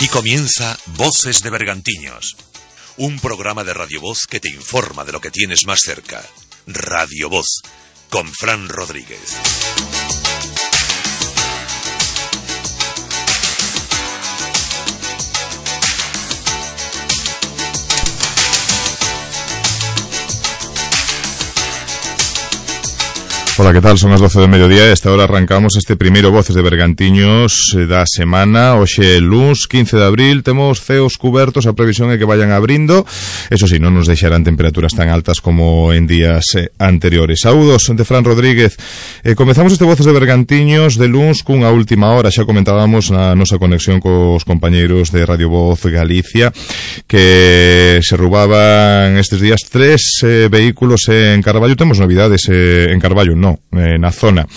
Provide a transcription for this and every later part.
Aquí comienza Voces de Bergantiños, un programa de Radio Voz que te informa de lo que tienes más cerca. Radio Voz, con Fran Rodríguez. Ola, que tal? Son as 12 do mediodía e esta hora arrancamos este primeiro Voces de Bergantiños da semana. Hoxe, luns 15 de abril, temos ceos cubertos, a previsión é que vayan abrindo. Eso sí, non nos deixarán temperaturas tan altas como en días anteriores. Saúdos de Fran Rodríguez. Comezamos este Voces de Bergantiños de luns cunha última hora. Xa comentábamos na nosa conexión cos compañeiros de Radio Voz Galicia que se roubaban estes días 3 vehículos en Carballo. Temos novidades en Carballo, na zona.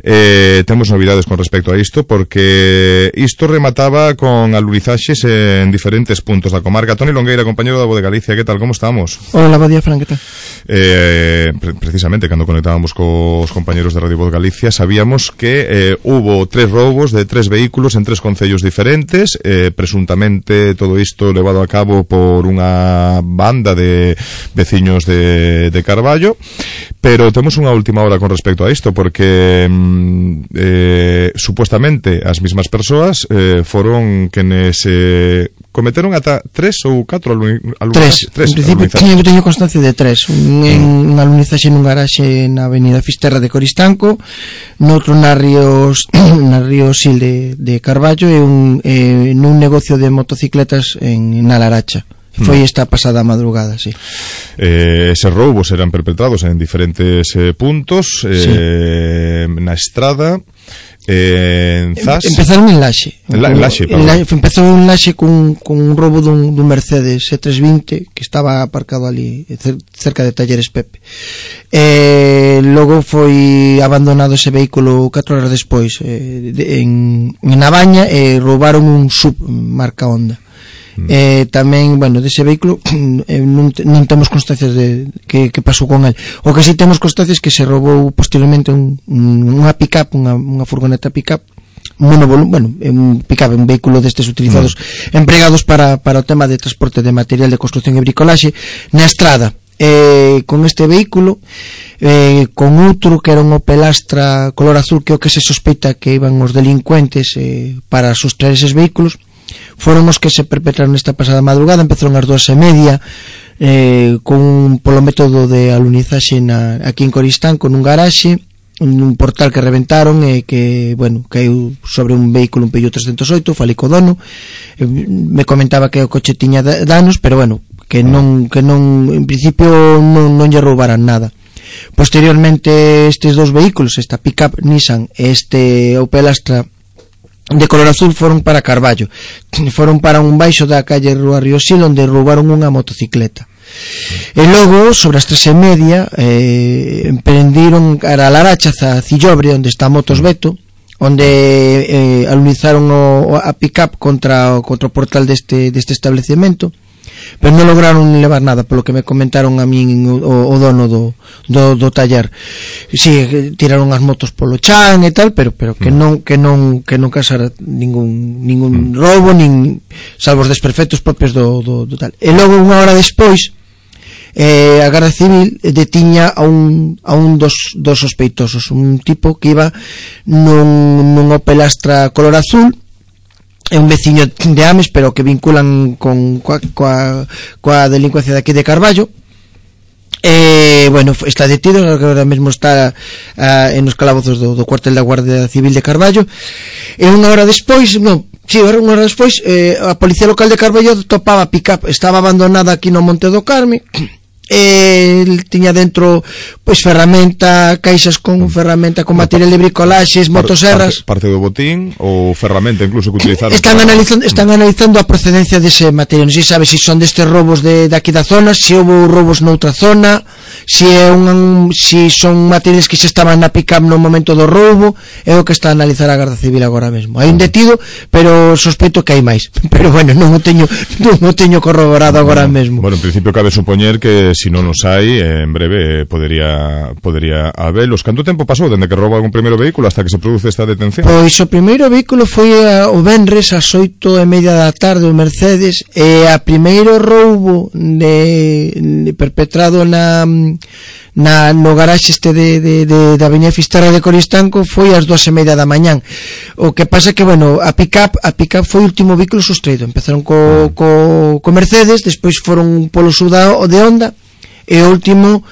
Temos novidades con respecto a isto, porque isto remataba con alunizaxes en diferentes puntos da comarca. Toni Longueira, compañero da Voz de Galicia, que tal, como estamos? Hola, bo día, Fran, que tal? Precisamente, cando conectábamos cos compañeros de Radio Voz Galicia, sabíamos que hubo 3 roubos de 3 vehículos en 3 concellos diferentes, presuntamente todo isto levado a cabo por unha banda de veciños de Carballo, pero temos unha última hora con respecto a isto, porque supuestamente as mismas persoas foron quenes cometeron ata 3 ou 4 alunizaxes. En principio teño constancia de 3. Un alunizaxe nun garaxe na avenida Fisterra de Coristanco, noutro na Río Sil de Carballo e nun negocio de motocicletas na Laracha. Foi esta pasada madrugada, sí. Eses roubos eran perpetrados en diferentes puntos, sí. Na Estrada, en Zas. Empezaron en Laxe. Empezou en Laxe cun roubo dun Mercedes E320 que estaba aparcado ali cerca de Talleres Pepe. Logo foi abandonado ese vehículo 4 horas despois en Nabaña e roubaron un Sub marca Honda. Tamén, bueno, dese vehículo non temos constancias de que pasou con el. O que si temos constancias que se roubou posteriormente unha pick-up, unha furgoneta pick-up, un pick-up, un vehículo destes utilizados, empregados para o tema de transporte de material de construcción e bricolaxe na estrada. Con este vehículo, con outro que era un Opel Astra color azul, que é o que se sospeita que iban os delincuentes para sustraer eses vehículos, foron os que se perpetraron esta pasada madrugada. Empezaron ás 2:30 polo método de alunizaxe aquí en Coristanco, nun garaxe, un portal que reventaron e que, bueno, caiu sobre un vehículo, un Peugeot 308. Falei co dono, me comentaba que o coche tiña danos, pero bueno, que non en principio non lle roubaran nada. Posteriormente, estes 2 vehículos, esta pick-up Nissan e este Opel Astra de color azul, foron para Carballo, foron para un baixo da calle Rúa Río Sil, onde roubaron unha motocicleta. E logo, sobre as 3:30, emprendiron cara a Laracha, a Cillobre, onde está Motos Beto, onde alunizaron a pick-up contra o portal deste establecemento, pero non lograron levar nada, polo que me comentaron a min o dono do taller. Si, tiraron as motos polo chan e tal, pero que non causara ningún roubo, nin salvo os desperfectos propios do tal. E logo, unha hora despois, a Garda Civil detiña a un dos sospeitosos, un tipo que iba nun Opel Astra color azul. É un veciño de Ames, pero que vinculan coa delincuencia de aquí de Carballo. Bueno, está detido, agora mesmo está en os calabozos do cuartel da Guardia Civil de Carballo. E unha hora despois, a Policía Local de Carballo topaba a pick-up, estaba abandonada aquí no Monte do Carme. El tiña dentro ferramenta, caixas con ferramenta, con material de bricolaxes, motoserras, parte do botín ou ferramenta incluso que utilizaron. Están analizando a procedencia dese material. Non se sabe se son destes robos de aquí da zona, se houve roubos noutra zona, si son materiales que xa estaban na pick-up no momento do roubo, é o que está a analizar a Garda Civil agora mesmo. Hai un detido, pero sospeito que hai máis. Pero bueno, non o teño corroborado agora mesmo. Bueno, en principio cabe supoñer que se non os hai, en breve podería habelos. Canto tempo pasou dende que rouba un primeiro vehículo hasta que se produce esta detención? Pois o primeiro vehículo foi o venres ás 8:30 da tarde o Mercedes, e a primeiro roubo perpetrado no garaxe da Avenida Fisterra de Coristanco foi ás 2:30 da mañán. O que pasa que, bueno, a pick-up foi o último vehículo sustraído. Empezaron co Mercedes, despois foron polo Sudao de Honda, e o último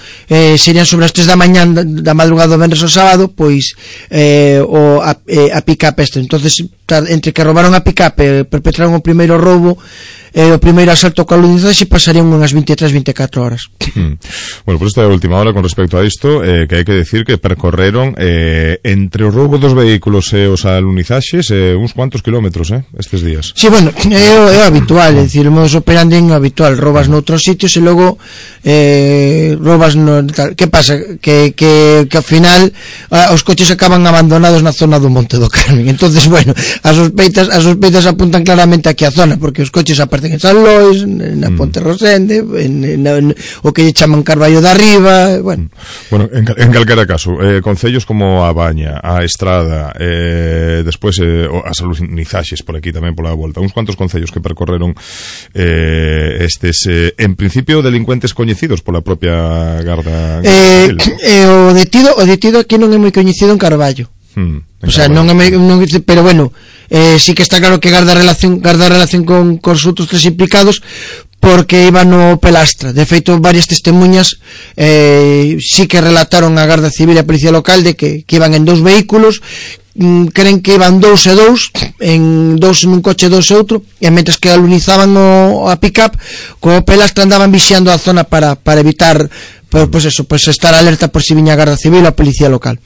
serían sobre as 3 da mañán da madrugada do venres ao sábado, pois a pick-up esta. Entonces, entre que roubaron a pick-up e perpetraron o primeiro roubo, o primeiro asalto coa alunizaxe, pasarían unhas 23-24 horas. Bueno, pues esta é a última hora con respecto a isto, que hai que decir que percorreron entre o roubo dos vehículos e os alunizaxes uns cuantos kilómetros estes días. Sí, bueno, é habitual, é dicir, o modus operandi é habitual, robas noutros sitios e logo robas no tal. Que pasa? Que ao final os coches acaban abandonados na zona do Monte do Carmen. Entonces, bueno, as sospeitas apuntan claramente aquí a zona, porque os coches aparecen en San Lois, na Ponte Rosende, o que lle chaman Carballo de Arriba, bueno, en calquera caso, concellos como a Baña, a Estrada, despois as alunizaxes por aquí tamén pola volta, uns cuantos concellos que percorreron estes, en principio, delincuentes coñecidos pola propia Garda Civil. O detido aquí non é moi coñecido en Carballo. O sea, non pero bueno, sí que está claro que garda relación con os outros tres implicados, porque iban no Pelastra. De feito, varias testemunhas sí que relataron a Garda Civil e a Policía Local de que iban en 2 vehículos, creen que iban 2 e 2, en 2 nun coche, 2 e outro, e mentres que alunizaban a pick-up, co Pelastra andaban vixiando a zona para evitar pues estar alerta por si viña a Garda Civil ou a Policía Local.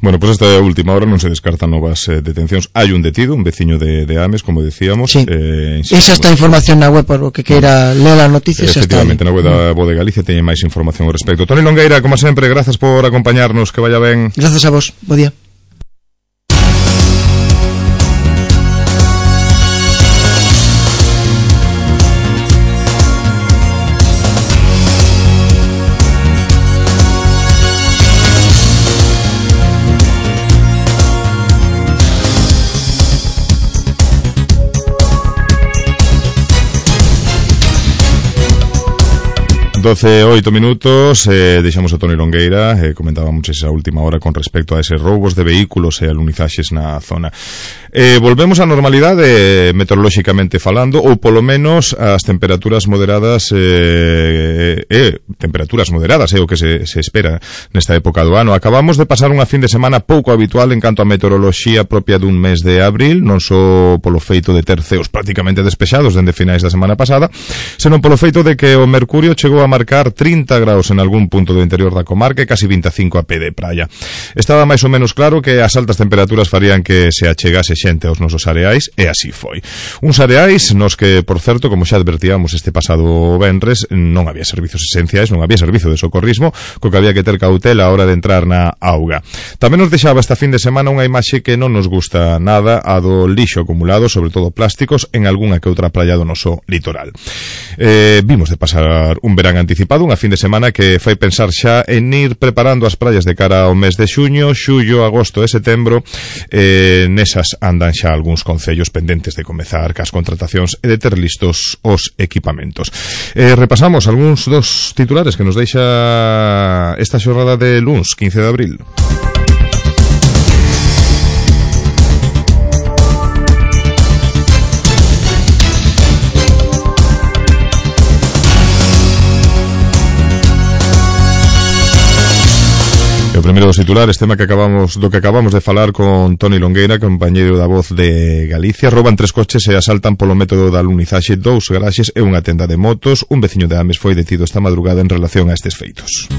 Bueno, pues esta última hora non se descartan novas detencións. Hai un detido, un veciño de Ames, como decíamos. Sí. Esa está a información na web, por o que queira ler as noticias. Efectivamente, na web da Voz de Galicia teñen máis información ao respecto. Toni Longueira, como sempre, grazas por acompañarnos, que vaya ben. Grazas a vos, bo día. Doce, 8 minutos, deixamos a Toni Longueira, comentábamos esa última hora con respecto a eses roubos de vehículos e alunizaxes na zona. Volvemos á normalidade meteorolóxicamente falando, ou polo menos as temperaturas moderadas, temperaturas moderadas é o que se espera nesta época do ano. Acabamos de pasar unha fin de semana pouco habitual en canto a meteoroloxía propia dun mes de abril, non só polo feito de ter ceos prácticamente despexados dende finais da semana pasada, senón polo feito de que o mercurio chegou a marcar 30 graus en algún punto do interior da comarca e casi 25 a pé de praia. Estaba máis ou menos claro que as altas temperaturas farían que se achegase xente aos nosos areais, e así foi. Uns areais nos que, por certo, como xa advertíamos este pasado venres, non había servizos esenciais, non había servizo de socorrismo, co que había que ter cautela a hora de entrar na auga. Tamén nos deixaba esta fin de semana unha imaxe que non nos gusta nada, a do lixo acumulado, sobre todo plásticos, en algunha que outra praia do noso litoral. Vimos de pasar un verán anticipado, unha fin de semana que fai pensar xa en ir preparando as praias de cara ao mes de xuño, xullo, agosto e setembro. Nesas andan xa algúns concellos pendentes de comezar cas contratacións e de ter listos os equipamentos. Repasamos algúns dos titulares que nos deixa esta xornada de luns, 15 de abril. O primeiro dos titulares, tema que acabamos de falar con Toni Longueira, compañeiro da Voz de Galicia. Rouban 3 coches e asaltan polo método da alunizaxe 2 garaxes e unha tenda de motos. Un veciño de Ames foi detido esta madrugada en relación a estes feitos.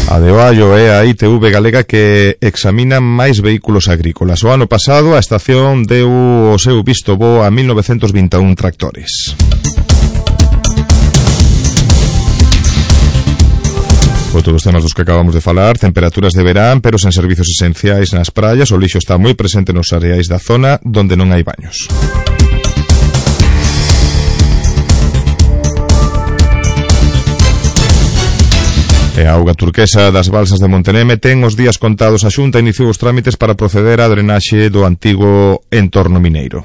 A de Oallo é a ITV galega que examina máis vehículos agrícolas. O ano pasado a estación deu o seu visto bo a 1921 tractores. Outros temas dos que acabamos de falar, temperaturas de verán, pero sen servizos esenciais nas praias, o lixo está moi presente nos areais da zona donde non hai baños. E a auga turquesa das balsas de Monteneme ten os días contados. A Xunta iniciou os trámites para proceder á drenaxe do antigo entorno mineiro.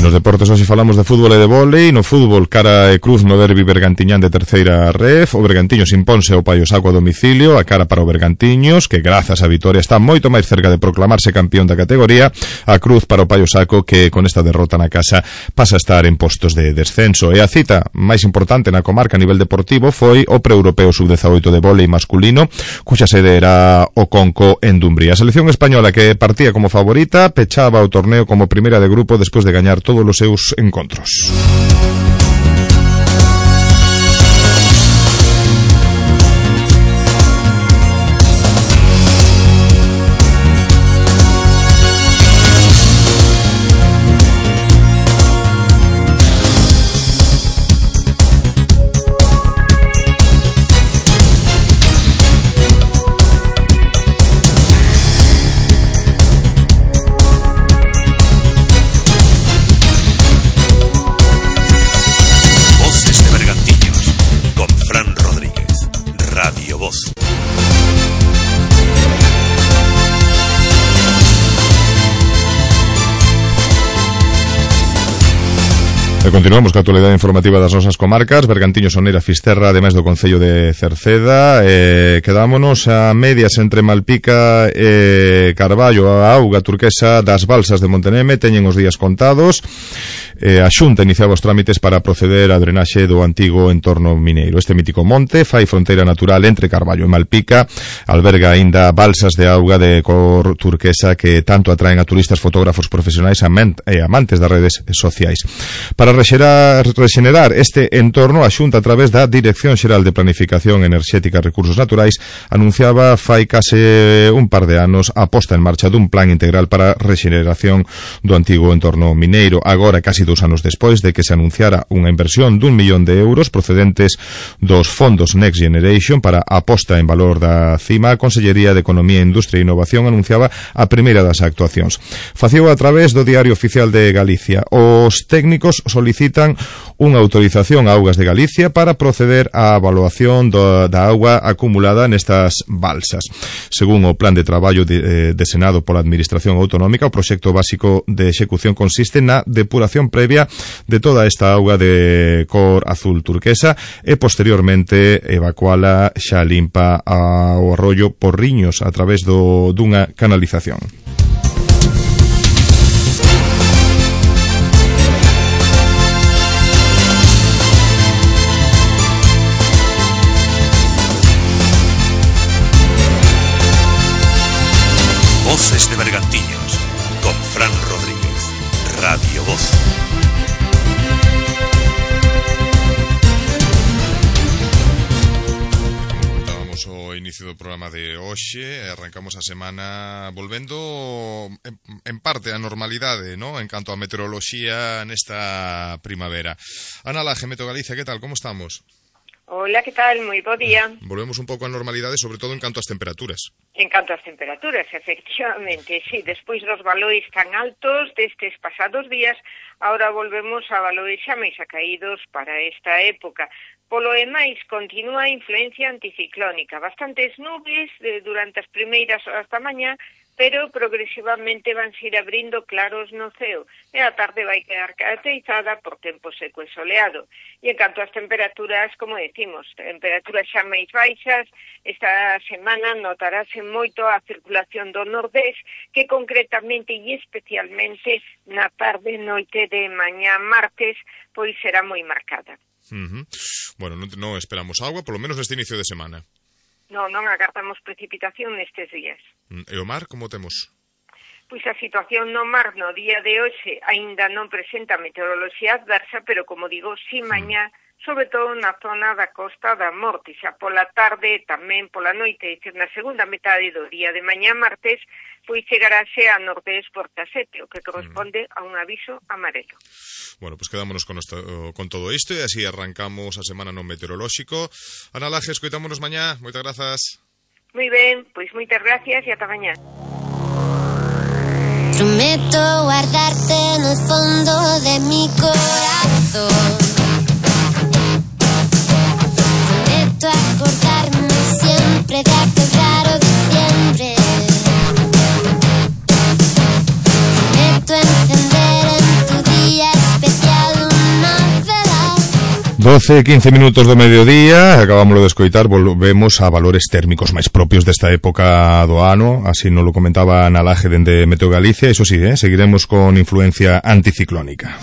Nos deportes hoxe falamos de fútbol e de vólei. No fútbol, cara e cruz no derbi bergantiñán de terceira ref. O Bergantiños imponse ao Paio Saco a domicilio. A cara para o Bergantiños, que grazas á vitoria está moito máis cerca de proclamarse campeón da categoría. A cruz para o Paio Saco, que con esta derrota na casa pasa a estar en postos de descenso. E a cita máis importante na comarca a nivel deportivo foi o pre-europeo sub-18 de vólei masculino, cuxa sede era o Conco en Dumbría. A selección española, que partía como favorita, pechaba o torneo como primeira de grupo despois de gañar todos os seus encontros. E continuamos ca actualidade informativa das nosas comarcas. Bergantiños, Soneira, Fisterra, ademais do concello de Cerceda. Quedámonos a medias entre Malpica e Carballo. A auga turquesa das balsas de Monteneme teñen os días contados. A Xunta iniciaba os trámites para proceder á drenaxe do antigo entorno mineiro. Este mítico monte fai fronteira natural entre Carballo e Malpica, alberga aínda balsas de auga de cor turquesa que tanto atraen a turistas, fotógrafos profesionais e amantes das redes sociais. Para rexenerar este entorno, a Xunta, a través da Dirección Xeral de Planificación Enerxética e Recursos Naturais, anunciaba fai case un par de anos a posta en marcha dun plan integral para a rexeneración do antigo entorno mineiro. Agora, casi 2 anos despois de que se anunciara unha inversión d'1 millón de euros procedentes dos fondos Next Generation para a posta en valor da cima, a Consellería de Economía, Industria e Innovación anunciaba a primeira das actuacións. Facío a través do Diario Oficial de Galicia. Os técnicos solicitan unha autorización a Augas de Galicia para proceder á evaluación da auga acumulada nestas balsas. Según o plan de traballo desenado pola Administración Autonómica, o proxecto básico de execución consiste na depuración previa de toda esta auga de cor azul turquesa e posteriormente evacuala xa limpa ao arroyo Porriños a través dunha canalización. Voces de Bergantiños, con Fran Rodríguez, Radio Voz. Comentábamos o inicio do programa de hoxe, arrancamos a semana volvendo en parte á normalidade, ¿no?, en canto a meteoroloxía nesta primavera. Ana Laje, Meteo Galicia, que tal, como estamos? Hola, que tal? Moi bo día. Volvemos un pouco á normalidade, sobre todo en canto ás temperaturas. En canto ás temperaturas, efectivamente, sí, despois dos valores tan altos destes pasados días, ahora volvemos a valores xa máis acaídos para esta época. Polo demais, continúa a influencia anticiclónica, bastantes nubes durante as primeiras horas da mañá, pero progresivamente vanse ir abrindo claros no ceo e a tarde vai quedar caracterizada por tempo seco e soleado. E en canto ás temperaturas, como decimos, temperaturas xa máis baixas, esta semana notarase moito a circulación do nordés, que concretamente e especialmente na tarde noite de mañá martes, pois será moi marcada. Bueno, non esperamos agua, polo menos neste inicio de semana. Non agardamos precipitación nestes días. E o mar, como temos? Pois a situación no mar no día de hoxe aínda non presenta meteoroloxía adversa, pero como digo, si mañá, sobre todo na zona da Costa da Morte, xa pola tarde, tamén pola noite, é dicir, na segunda metade do día de mañá martes, pois chegarase a nordés porta 7, o que corresponde a un aviso amarelo. Bueno, pues quedámonos con todo isto e así arrancamos a semana no meteorolóxico. Ana Laje, escoitámonos mañá. Moitas grazas. Moi ben, pois moitas gracias e ata mañá. Prometo guardarte en el fondo de mi corazón. Prometo acordarme siempre de aquel raro diciembre. Prometo encender en tu día especial una vela. 12-15 minutos do mediodía, acabámoslo de escoitar, volvemos a valores térmicos máis propios desta época do ano, así nos lo comentaba Ana Laje dende Meteo Galicia, iso sí, seguiremos con influencia anticiclónica.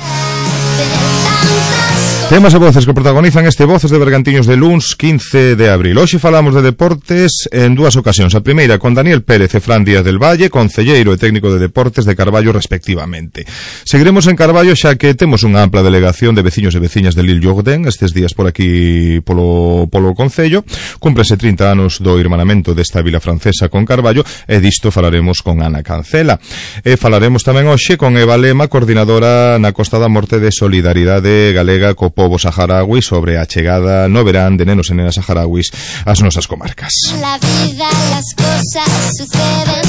Temas e voces que protagonizan este Voces de Bergantiños de luns 15 de abril. Hoxe falamos de deportes en dúas ocasións. A primeira con Daniel Pérez e Fran Díaz del Valle, concelleiro e técnico de deportes de Carballo respectivamente. Seguiremos en Carballo xa que temos unha ampla delegación de veciños e veciñas de Lille Jourdain estes días por aquí polo concello. Cúmprense 30 anos do irmanamento desta vila francesa con Carballo e disto falaremos con Ana Cancela. E falaremos tamén hoxe con Eva Lema, coordinadora na Costa da Morte de Solidaridade Galega co pobo saharaui, sobre a chegada no verán de nenos e nenas saharauis ás nosas comarcas. La vida, las cosas suceden,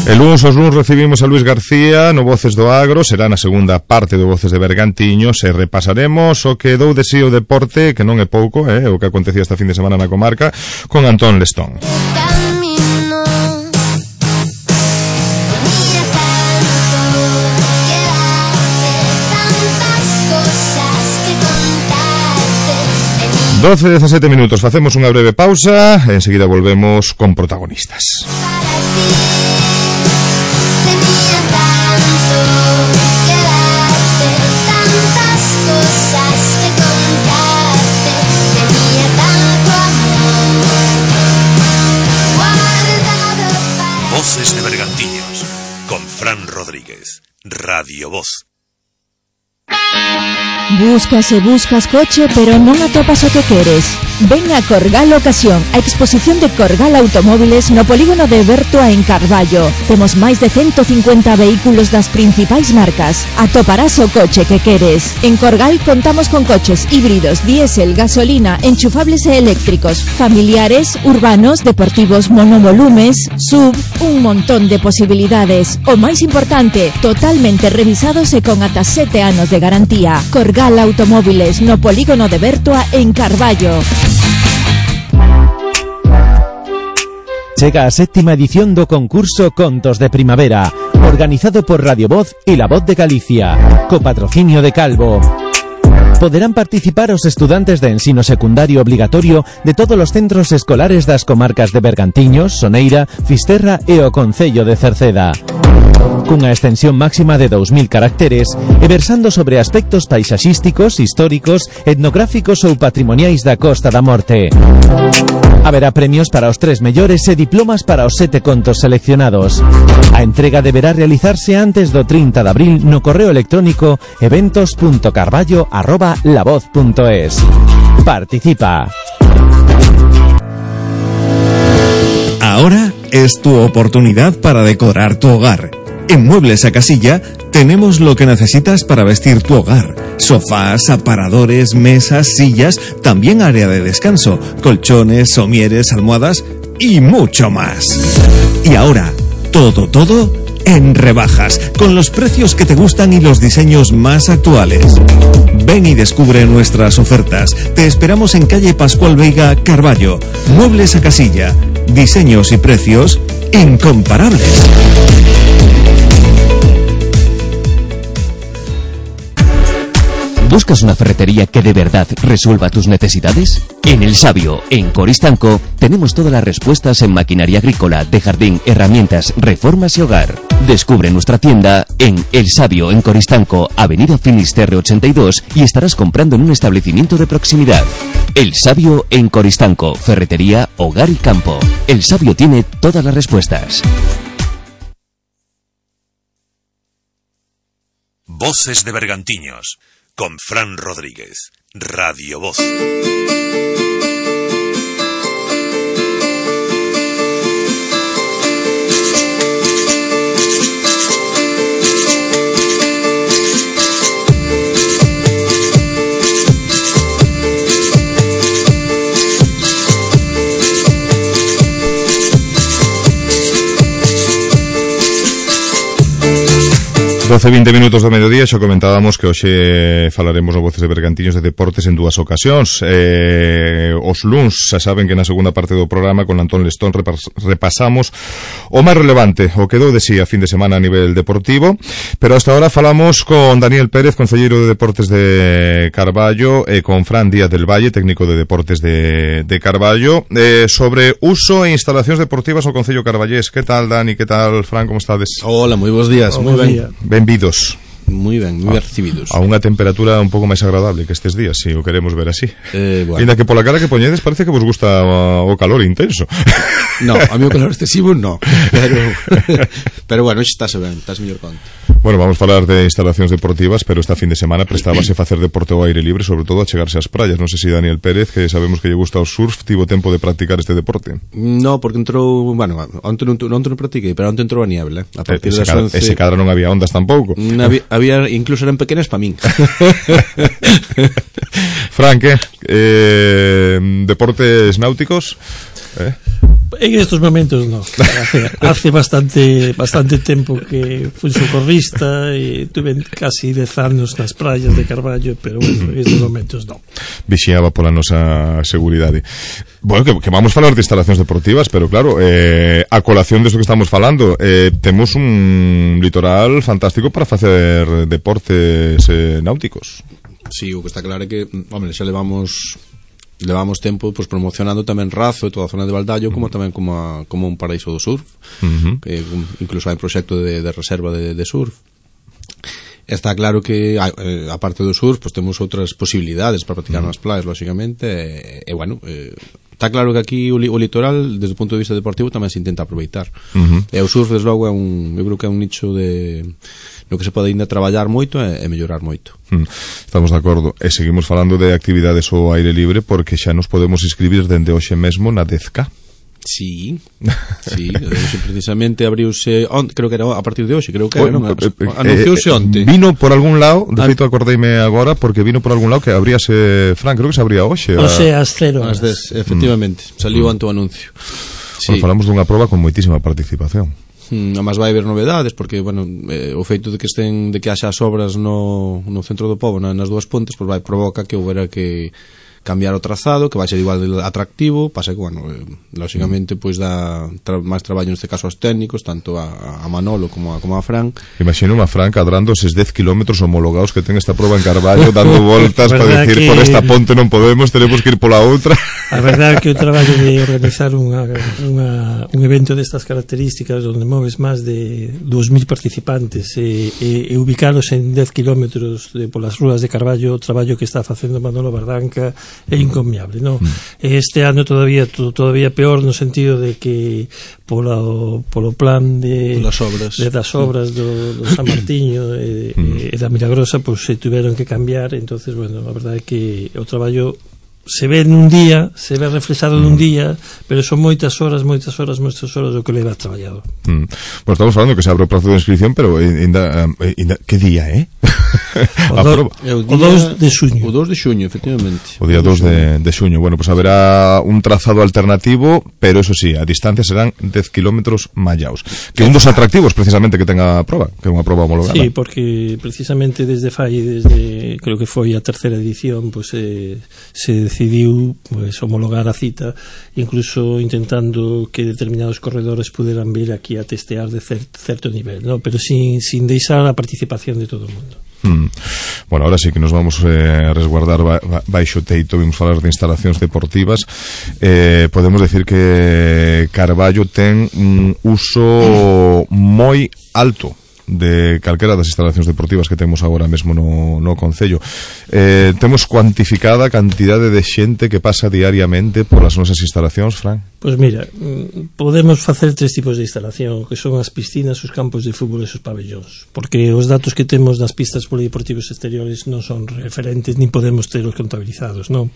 Os luns recibimos a Luis García no Voces do Agro, será na segunda parte do Voces de Bergantiños e repasaremos o que dou de si o deporte, que non é pouco, o que acontecía esta fin de semana na comarca, con Antón Lestón. Doce, 17 minutos, facemos unha breve pausa e enseguida volvemos con protagonistas. Voces de Bergantiños con Fran Rodríguez, Radio Voz. Buscas e buscas coche, pero non atopas o que queres. Ven a Corgal Ocasión, a exposición de Corgal Automóviles no polígono de Bertoa en Carballo. Temos máis de 150 vehículos das principais marcas. Atoparás o coche que queres. En Corgal contamos con coches híbridos, diésel, gasolina, enchufables e eléctricos, familiares, urbanos, deportivos, monovolumes, SUV, un montón de posibilidades. O máis importante, totalmente revisados e con ata 7 anos de garantía. Corgal Automóviles no polígono de Bertoa en Carballo. Chega a 7ª edición do concurso Contos de Primavera, organizado por Radio Voz e La Voz de Galicia, co patrocinio de Calvo. Poderán participar os estudantes de ensino secundario obligatorio de todos os centros escolares das comarcas de Bergantiños, Soneira, Fisterra e o concello de Cerceda. Cunha extensión máxima de 2000 caracteres e versando sobre aspectos paisaxísticos, históricos, etnográficos ou patrimoniais da Costa da Morte. Haberá premios para os 3 mellores e diplomas para os 7 contos seleccionados. A entrega deberá realizarse antes do 30 de abril no correo electrónico eventos.carballo@lavoz.es. Participa. Ahora es tu oportunidad para decorar tu hogar. En Muebles a Casilla tenemos lo que necesitas para vestir tu hogar. Sofás, aparadores, mesas, sillas, también área de descanso, colchones, somieres, almohadas y mucho más. Y ahora, todo en rebajas, con los precios que te gustan y los diseños más actuales. Ven y descubre nuestras ofertas. Te esperamos en calle Pascual Veiga, Carballo. Muebles a Casilla. Diseños y precios incomparables. ¿Buscas una ferretería que de verdad resuelva tus necesidades? En El Sabio, en Coristanco, tenemos todas las respuestas en maquinaria agrícola, de jardín, herramientas, reformas y hogar. Descubre nuestra tienda en El Sabio, en Coristanco, Avenida Finisterre 82, y estarás comprando en un establecimiento de proximidad. El Sabio en Coristanco, ferretería, hogar y campo. El Sabio tiene todas las respuestas. Voces de Bergantiños, con Fran Rodríguez, Radio Voz. 12-20 minutos do mediodía, xa comentábamos que hoxe falaremos no Voces de Bergantiños de deportes en dúas ocasións. Os luns, xa saben que na segunda parte do programa con Antón Lestón repasamos o máis relevante, o que dou de sí a fin de semana a nivel deportivo, pero hasta ahora falamos con Daniel Pérez, concelleiro de Deportes de Carballo, e con Fran Díaz del Valle, técnico de Deportes de Carballo, sobre uso e instalacións deportivas ao Concello Carballés. Que tal, Dani? Que tal, Fran? Como estades? Hola, moi bons días, moi ben. Benvidos. Moi ben, moi ben recibidos. A unha temperatura un pouco máis agradable que estes días, se o queremos ver así. Bueno. Ainda que pola cara que poñedes parece que vos gusta o calor intenso. No, a mí o calor excesivo no. Pero bueno, xa estás ben, estás mellor conto. Bueno, vamos falar de instalacións deportivas, pero esta fin de semana prestábase facer deporte ao aire libre, sobre todo a chegarse ás praias. Non sei se Daniel Pérez, que sabemos que lle gusta o surf, tivo tempo de practicar este deporte. No, porque entrou, bueno, onte non practiquei, pero onte entrou a niebla. A partir das 11... Ese cadra non había ondas tampouco. Había, incluso eran pequenas para min. Fran, que? Deportes náuticos? En estos momentos no. Hace bastante tempo que fui socorrista e tuve casi 10 anos nas praias de Carballo, pero bueno, en estos momentos no. Vixiaba pola nosa seguridade. Bueno, que vamos falar de instalacións deportivas, pero claro, a colación desto que estamos falando, temos un litoral fantástico para facer deportes náuticos. Sí, o que está claro é que, hombre, xa levamos tempo pues, promocionando tamén Razo e toda a zona de Valdallo como tamén como un paraíso do surf, que incluso hai un proxecto de reserva de surf. Está claro que a parte do surf pues, temos outras posibilidades para practicar nas playas, lógicamente, e bueno, está claro que aquí o litoral desde o punto de vista deportivo tamén se intenta aproveitar. E o surf desde logo eu creo que é un nicho no que se pode ainda traballar moito e mellorar moito. Estamos de acordo. E seguimos falando de actividades ao aire libre porque xa nos podemos inscribir dende hoxe mesmo na 10K. Sí, precisamente abriuse creo que era a partir de hoxe, creo que era, non? Anunciouse onte. Vino por algún lado, de feito acordeime agora porque vino por algún lado que abríase, Fran, creo que se abría hoxe. Hoxe ás 0 horas. Efectivamente, saliu ante o anuncio. Bueno, falamos dunha proba con moitísima participación. Además vai haber novedades porque, bueno, o feito de que haxa as obras no centro do pobo, nas dúas pontes, pues vai provoca que houbera que cambiar o trazado, que vai ser igual de atractivo, pasa que, bueno, lógicamente, pois dá máis traballo neste caso aos técnicos, tanto a Manolo como a Fran. Imagino a Fran cadrando eses 10 kilómetros homologados que ten esta proba en Carballo, dando voltas para decir por esta ponte non podemos, tenemos que ir pola outra. A verdade é que o traballo de organizar un evento destas características onde moves máis de 2.000 participantes e ubicalos en 10 kilómetros polas rúas de Carballo, o traballo que está facendo Manolo Bardanca é incomiable, non? Este ano todavía peor no sentido de que polo plan das obras do San Martiño e da Milagrosa, pois se tiveron que cambiar. Entonces, bueno, a verdade é que o traballo se ve nun día, se ve reflexado nun día, pero son moitas horas o que leva traballado. Bueno, estamos falando que se abre o prazo de inscripción, pero ainda que día, O 2 de xuño. O 2 de xuño, efectivamente. O día 2 de xuño. Bueno, pues haberá un trazado alternativo, pero eso sí, a distancia serán 10 kilómetros mallaos. Que un dos atractivos, precisamente, que tenga a proba, que é unha proba homologada. Sí, porque precisamente desde creo que foi a terceira edición, pues se decidiu pues homologar a cita, incluso intentando que determinados corredores puderan vir aquí a testear de certo nivel, ¿no? Pero sin deixar a participación de todo o mundo. Bueno, ahora sí que nos vamos a resguardar baixo teito. Vimos falar de instalacións deportivas. Podemos decir que Carballo ten un uso moi alto de calquera das instalacións deportivas que temos agora mesmo no concello. Temos cuantificada a cantidade de xente que pasa diariamente por as nosas instalacións, Fran? Pois mira, podemos facer 3 tipos de instalación, que son as piscinas, os campos de fútbol e os pabellóns, porque os datos que temos das pistas polideportivos exteriores non son referentes, nin podemos telos contabilizados, non?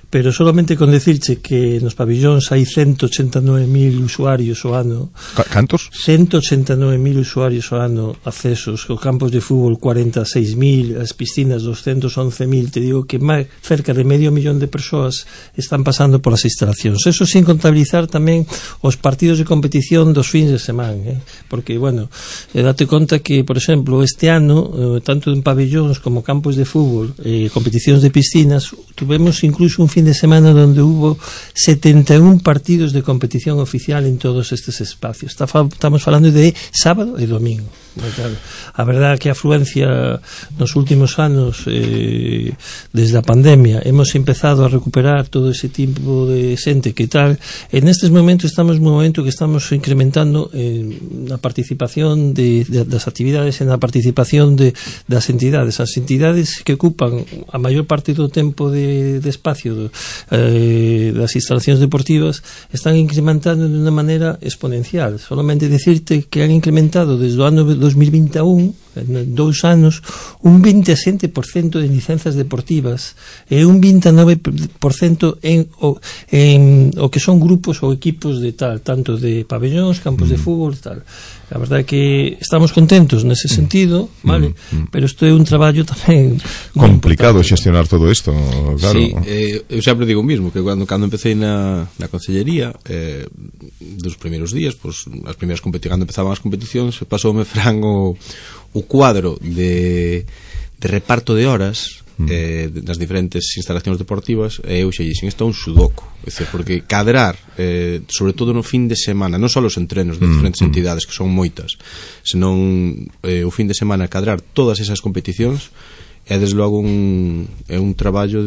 Pero solamente con decirche que nos pabellóns hai 189.000 usuarios ao ano. Cantos? 189.000 usuarios ao ano accesos, os campos de fútbol 46.000, as piscinas 211.000, te digo que máis cerca de medio millón de persoas están pasando polas instalacións. Eso sin contabilizar tamén os partidos de competición dos fins de semana, porque, bueno, date conta que, por exemplo, este ano, tanto en pabellóns como campos de fútbol, competicións de piscinas, tuvemos incluso un fin de semana donde hubo 71 partidos de competición oficial en todos estes espacios. Estamos falando de sábado e domingo. Claro, a verdade é que a afluencia nos últimos anos, desde a pandemia, hemos empezado a recuperar todo ese tipo de xente que tal. En estes momentos estamos nun momento que estamos incrementando na participación das actividades, en a participación das entidades. As entidades que ocupan a maior parte do tempo de espacio das instalacións deportivas están incrementando de unha maneira exponencial. Solamente decirte que han incrementado desde o ano 2021, en 2 anos, un 27% de licenzas deportivas e un 29% en o que son grupos ou equipos de tal, tanto de pabellóns, campos de fútbol, tal. A verdade é que estamos contentos nese sentido, vale? Pero isto é un traballo tamén complicado xestionar todo isto, claro. Sí, eu sempre digo o mismo, que cando empecé na consellería, dos primeiros días, pues, cando empezaban as competicións, pasoume Fran o cuadro de reparto de horas das diferentes instalacións deportivas, e eu xa dixen, isto é un sudoku, porque cadrar, sobre todo no fin de semana, non só os entrenos de diferentes entidades, que son moitas, senón o fin de semana cadrar todas esas competicións, é desde logo un traballo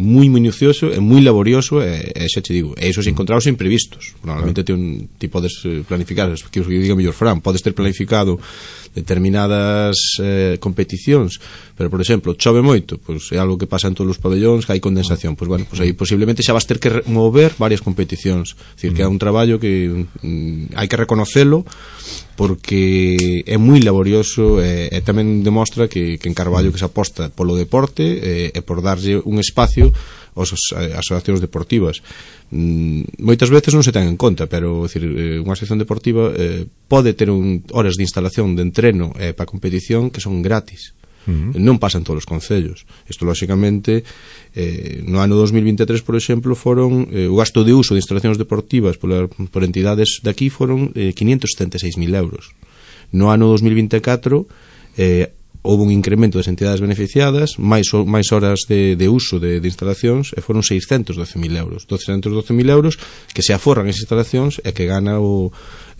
moi minucioso e moi laborioso, e xa te digo, e iso se encontrados imprevistos. Normalmente ti podes planificar, que os diga mellor Fran, podes ter planificado determinadas competicións, pero por exemplo, chove moito, pois é algo que pasa en todos os pabellóns, que hai condensación, pois bueno, pois aí posiblemente xa vas ter que mover varias competicións, é dicir, que é un traballo que hai que reconocelo, porque é moi laborioso, e tamén demostra que en Carballo que se aposta polo deporte e por darlle un espacio ás asociacións deportivas. Moitas veces non se ten en conta, pero decir, unha asociación deportiva pode ter horas de instalación de entreno para competición que son gratis. Non pasan todos os concellos. Isto, lóxicamente, no ano 2023, por exemplo, foron o gasto de uso de instalacións deportivas por entidades de aquí foron 576.000 euros. No ano 2024 houve un incremento das entidades beneficiadas, máis horas de uso de instalacións, e foron 612.000 euros. 212.000 euros que se aforran esas instalacións e que gana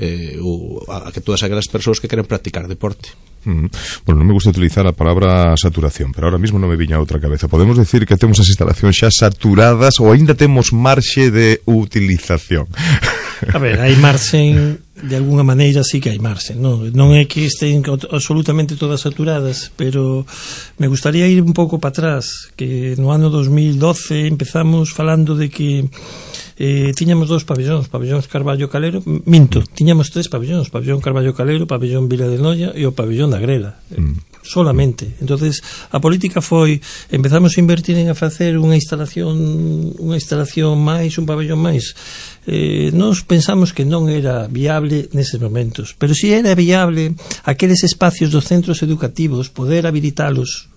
que todas aquelas persoas que queren practicar deporte. Bueno, non me gusta utilizar a palabra saturación, pero ahora mismo non me viña a outra cabeza. Podemos decir que temos as instalacións xa saturadas ou aínda temos marxe de utilización? A ver, hai marxe, de alguna maneira sí que hai marxe, non é que estén absolutamente todas saturadas, pero me gustaría ir un pouco para atrás, que no ano 2012 empezamos falando de que tiñamos 2 pabellóns Carballo Calero, tiñamos 3 pabellóns, pabellón Carballo Calero, pabellón Vila de Noia e o pabellón da Grela, solamente. Entonces a política foi, empezamos a invertir en a facer unha instalación máis, un pabellón máis. Nós pensamos que non era viable neses momentos, pero si era viable aqueles espacios dos centros educativos poder habilitalos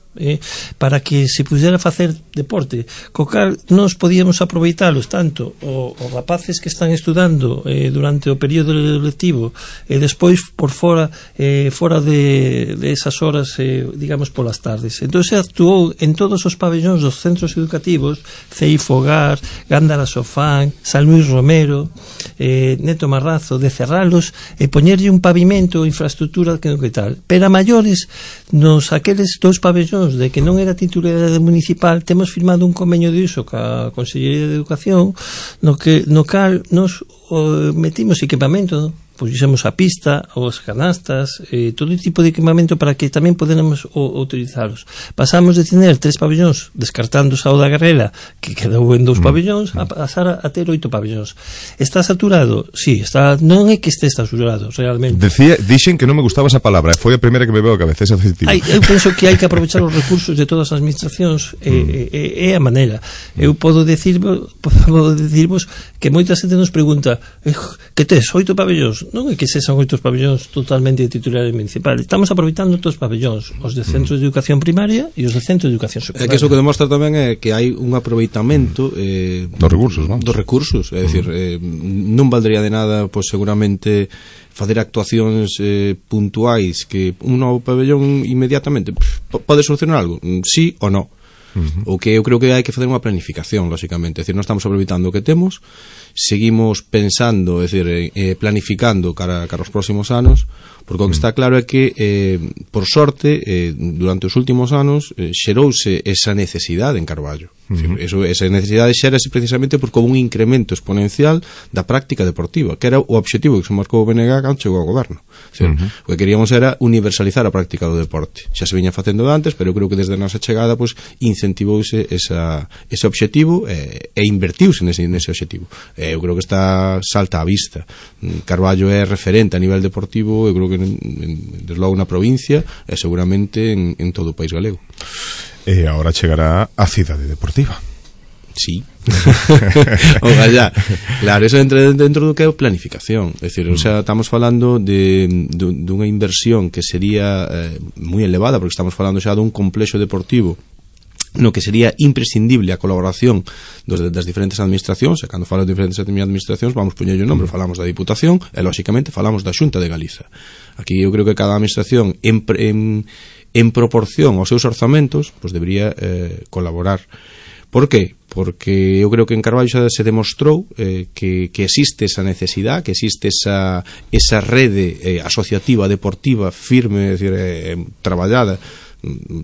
para que se pudera facer deporte, co cal nós podíamos aproveitalos tanto os rapaces que están estudando durante o período lectivo e despois por fora de esas horas digamos polas tardes. Entón se actuou en todos os pabellóns dos centros educativos, CEI Fogar, Gándara Sofán, San Luis Romero, Neto Marrazo, de cerralos e poñerlle un pavimento, infraestructura que tal, pero a maiores nos aqueles 2 pabellóns de que non era titularidade municipal, temos firmado un convenio de uso ca Consellería de Educación no cal nos metimos equipamento, puxemos a pista, os canastas, todo tipo de equipamento para que tamén podemos utilizalos. Pasamos de tener 3 pabellóns, descartando o da Guerrera, que quedou en 2 pabellóns, a pasar a ter 8 pabellóns. Está saturado? Sí, non é que este saturado, realmente. Dixen que non me gustaba esa palabra, foi a primeira que me veo a cabeza, esa adjetivo. Eu penso que hai que aprovechar os recursos de todas as administracións, é a maneira. Eu podo dicirvos que moita xente nos pregunta que tes 8 pabellóns? Non é que sexan 8 pabellóns totalmente de titularidade municipal, estamos aproveitando todos os pabellóns, os de centros de educación primaria e os de centros de educación secundaria. É que iso que demostra tamén é que hai un aproveitamento dos recursos, é dicir, non valdría de nada, pois seguramente facer actuacións puntuais que un novo pabellón inmediatamente pode solucionar algo, sí ou non. O que eu creo que hai que facer unha planificación, lógicamente, é dicir, non estamos aproveitando o que temos, seguimos pensando, é dicir, planificando cara aos próximos anos, porque o que está claro é que por sorte durante os últimos anos xerouse esa necesidade en Carballo. Esa necesidade xérase precisamente porque houve un incremento exponencial da práctica deportiva, que era o obxectivo que se marcou o BNG cando chegou ao goberno. O que queríamos era universalizar a práctica do deporte. Xa se viña facendo antes, pero eu creo que desde a nosa chegada incentivouse ese obxectivo e invertiuse nese obxectivo. Eu creo que está salta á vista. Carballo é referente a nivel deportivo, eu creo que desde logo na provincia e seguramente en todo o país galego. E agora chegará a cidade deportiva. Sí. Ojalá. Claro, eso entra dentro do que é a planificación. É dicir, o sea, estamos falando dunha inversión que sería moi elevada, porque estamos falando xa dun complexo deportivo no que sería imprescindible a colaboración das diferentes administracións, e cando falo de diferentes administracións vamos poñerlle o nombre, falamos da Diputación e lógicamente falamos da Xunta de Galiza. Aquí eu creo que cada administración en proporción aos seus orzamentos pois debería colaborar. Por qué? Porque eu creo que en Carballo xa se demostrou que existe esa necesidade, que existe esa rede asociativa deportiva firme, é dicir, traballada.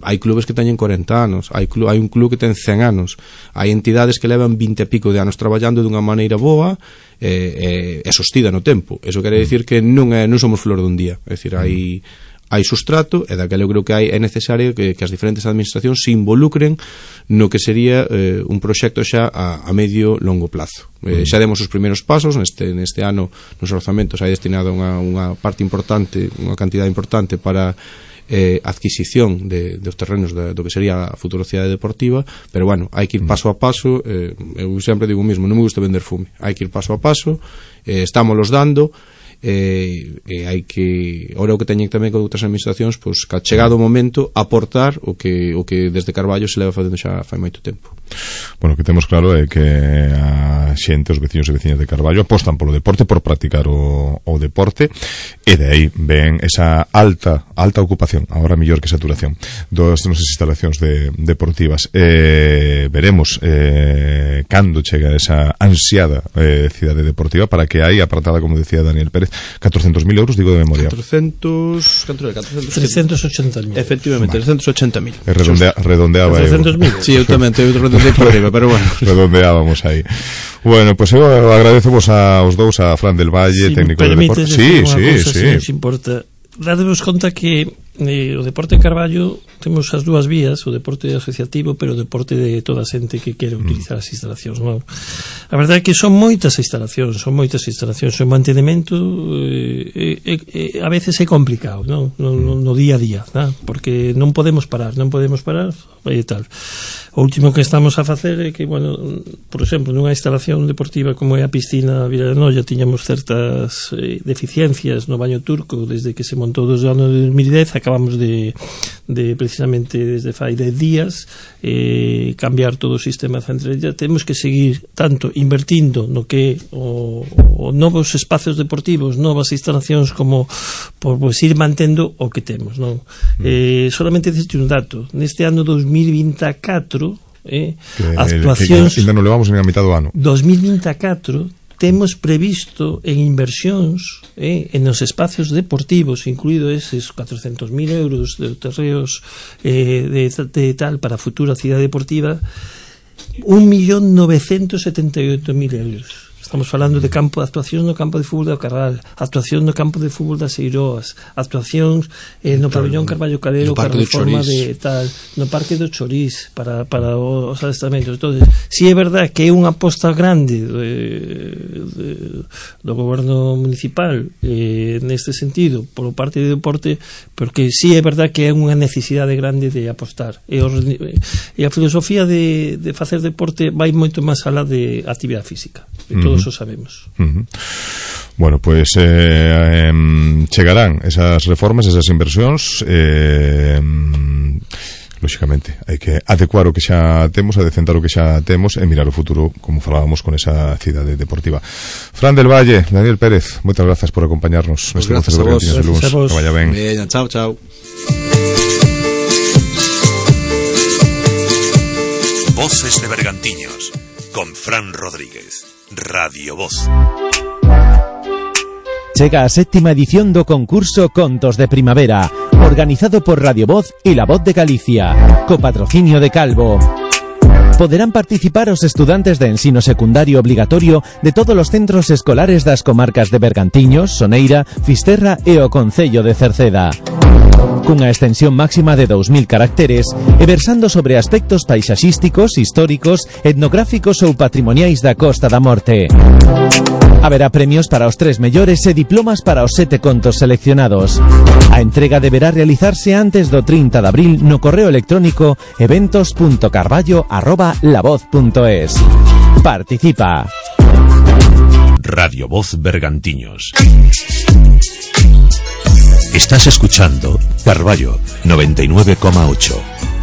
Hai clubes que teñen 40 anos, hai un club que ten 100 anos, hai entidades que levan 20 e pico de anos traballando dunha maneira boa e sostida no tempo. Eso quere dicir que non somos flor dun día, é dicir, hai sustrato, e daquela eu creo que é necesario que as diferentes administracións se involucren no que sería un proxecto xa a medio longo plazo. Xa demos os primeiros pasos neste ano, nos orzamentos hai destinado unha parte importante, unha cantidade importante para adquisición dos terrenos do que sería a futura cidade deportiva, pero bueno, hai que ir paso a paso. Eu sempre digo o mismo, non me gusta vender fume, hai que ir paso a paso, estámoslos dando, hai que, ora o que teñen tamén con outras administracións, pois que chegado o momento aportar o que desde Carballo se leva facendo xa fai moito tempo. Bueno, o que temos claro é que a xente, os veciños e veciñas de Carballo apostan polo deporte, por practicar o deporte, e de aí ven esa alta ocupación, agora mellor que saturación das nosas instalacións deportivas. Veremos cando chega esa ansiada cidade deportiva, para que hai apartada, como decía Daniel Pérez, 400.000 euros, digo de memoria. 380.000. Efectivamente, 380.000. Redondeaba. 300.000. Sí, eu tamén teño redondeo por arriba, pero bueno. Redondeábamos aí. Bueno, pues eu agradecemos aos dous, a Fran del Valle, técnico de deporte. Sí. Se importa, dadevos conta que o deporte en Carballo temos as dúas vías, o deporte asociativo, pero o deporte de toda a xente que quere utilizar as instalacións, non? A verdade é que son moitas instalacións, o mantenimento a veces é complicado, non? No día a día, non? Porque non podemos parar e tal. O último que estamos a facer é que, bueno, por exemplo, nunha instalación deportiva como é a piscina Vila de Noia, tiñamos certas deficiencias no baño turco desde que se montou desde o ano de 2010. Acabamos de precisamente desde fai 10 días cambiar todo o sistema de centralidade. Temos que seguir tanto invertindo no que o novos espacios deportivos, novas instalacións, como por pues, ir mantendo o que temos, non? Solamente diste un dato. Neste ano 2024 actuacións que ainda non levamos nin a mitad do ano. 2024 temos previsto en inversións en os espacios deportivos, incluído eses 400.000 euros de terreos de tal para a futura cidade deportiva, 1.978.000 euros. Estamos falando de campo de actuacións no campo de fútbol do Carral, actuación no campo de fútbol das Eiroas, actuacións no pabellón Carballo Calero para a reforma de tal, no Parque do Chorís para os adestramentos. Entonces, si é verdad que é unha aposta grande do goberno municipal neste sentido, por parte do deporte, porque si é verdad que é unha necesidade grande de apostar. E a filosofía de facer deporte vai moito máis alá de actividade física. E todos o sabemos. Bueno, pues chegarán esas reformas, esas inversións, lógicamente hai que adecuar o que xa temos, adecentar o que xa temos e mirar o futuro, como falábamos con esa cidade deportiva. Fran del Valle, Daniel Pérez, moitas grazas por acompañarnos neste Voces de Bergantiños de Luns. Que vaya ben. Chao, chao. Voces de Bergantiños con Fran Rodríguez. Radio Voz. Chega a 7ª edición do concurso Contos de Primavera, organizado por Radio Voz e La Voz de Galicia, co patrocinio de Calvo. Poderán participar os estudantes de ensino secundario obligatorio de todos os centros escolares das comarcas de Bergantiños, Soneira, Fisterra e o concello de Cerceda. Cunha extensión máxima de 2.000 caracteres e versando sobre aspectos paisaxísticos, históricos, etnográficos ou patrimoniais da Costa da Morte. Haberá premios para os 3 mellores e diplomas para os 7 contos seleccionados. A entrega deberá realizarse antes do 30 de abril no correo electrónico eventos.carballo@lavoz.es. Participa. Radio Voz Bergantiños. Estás escuchando Carballo 99,8,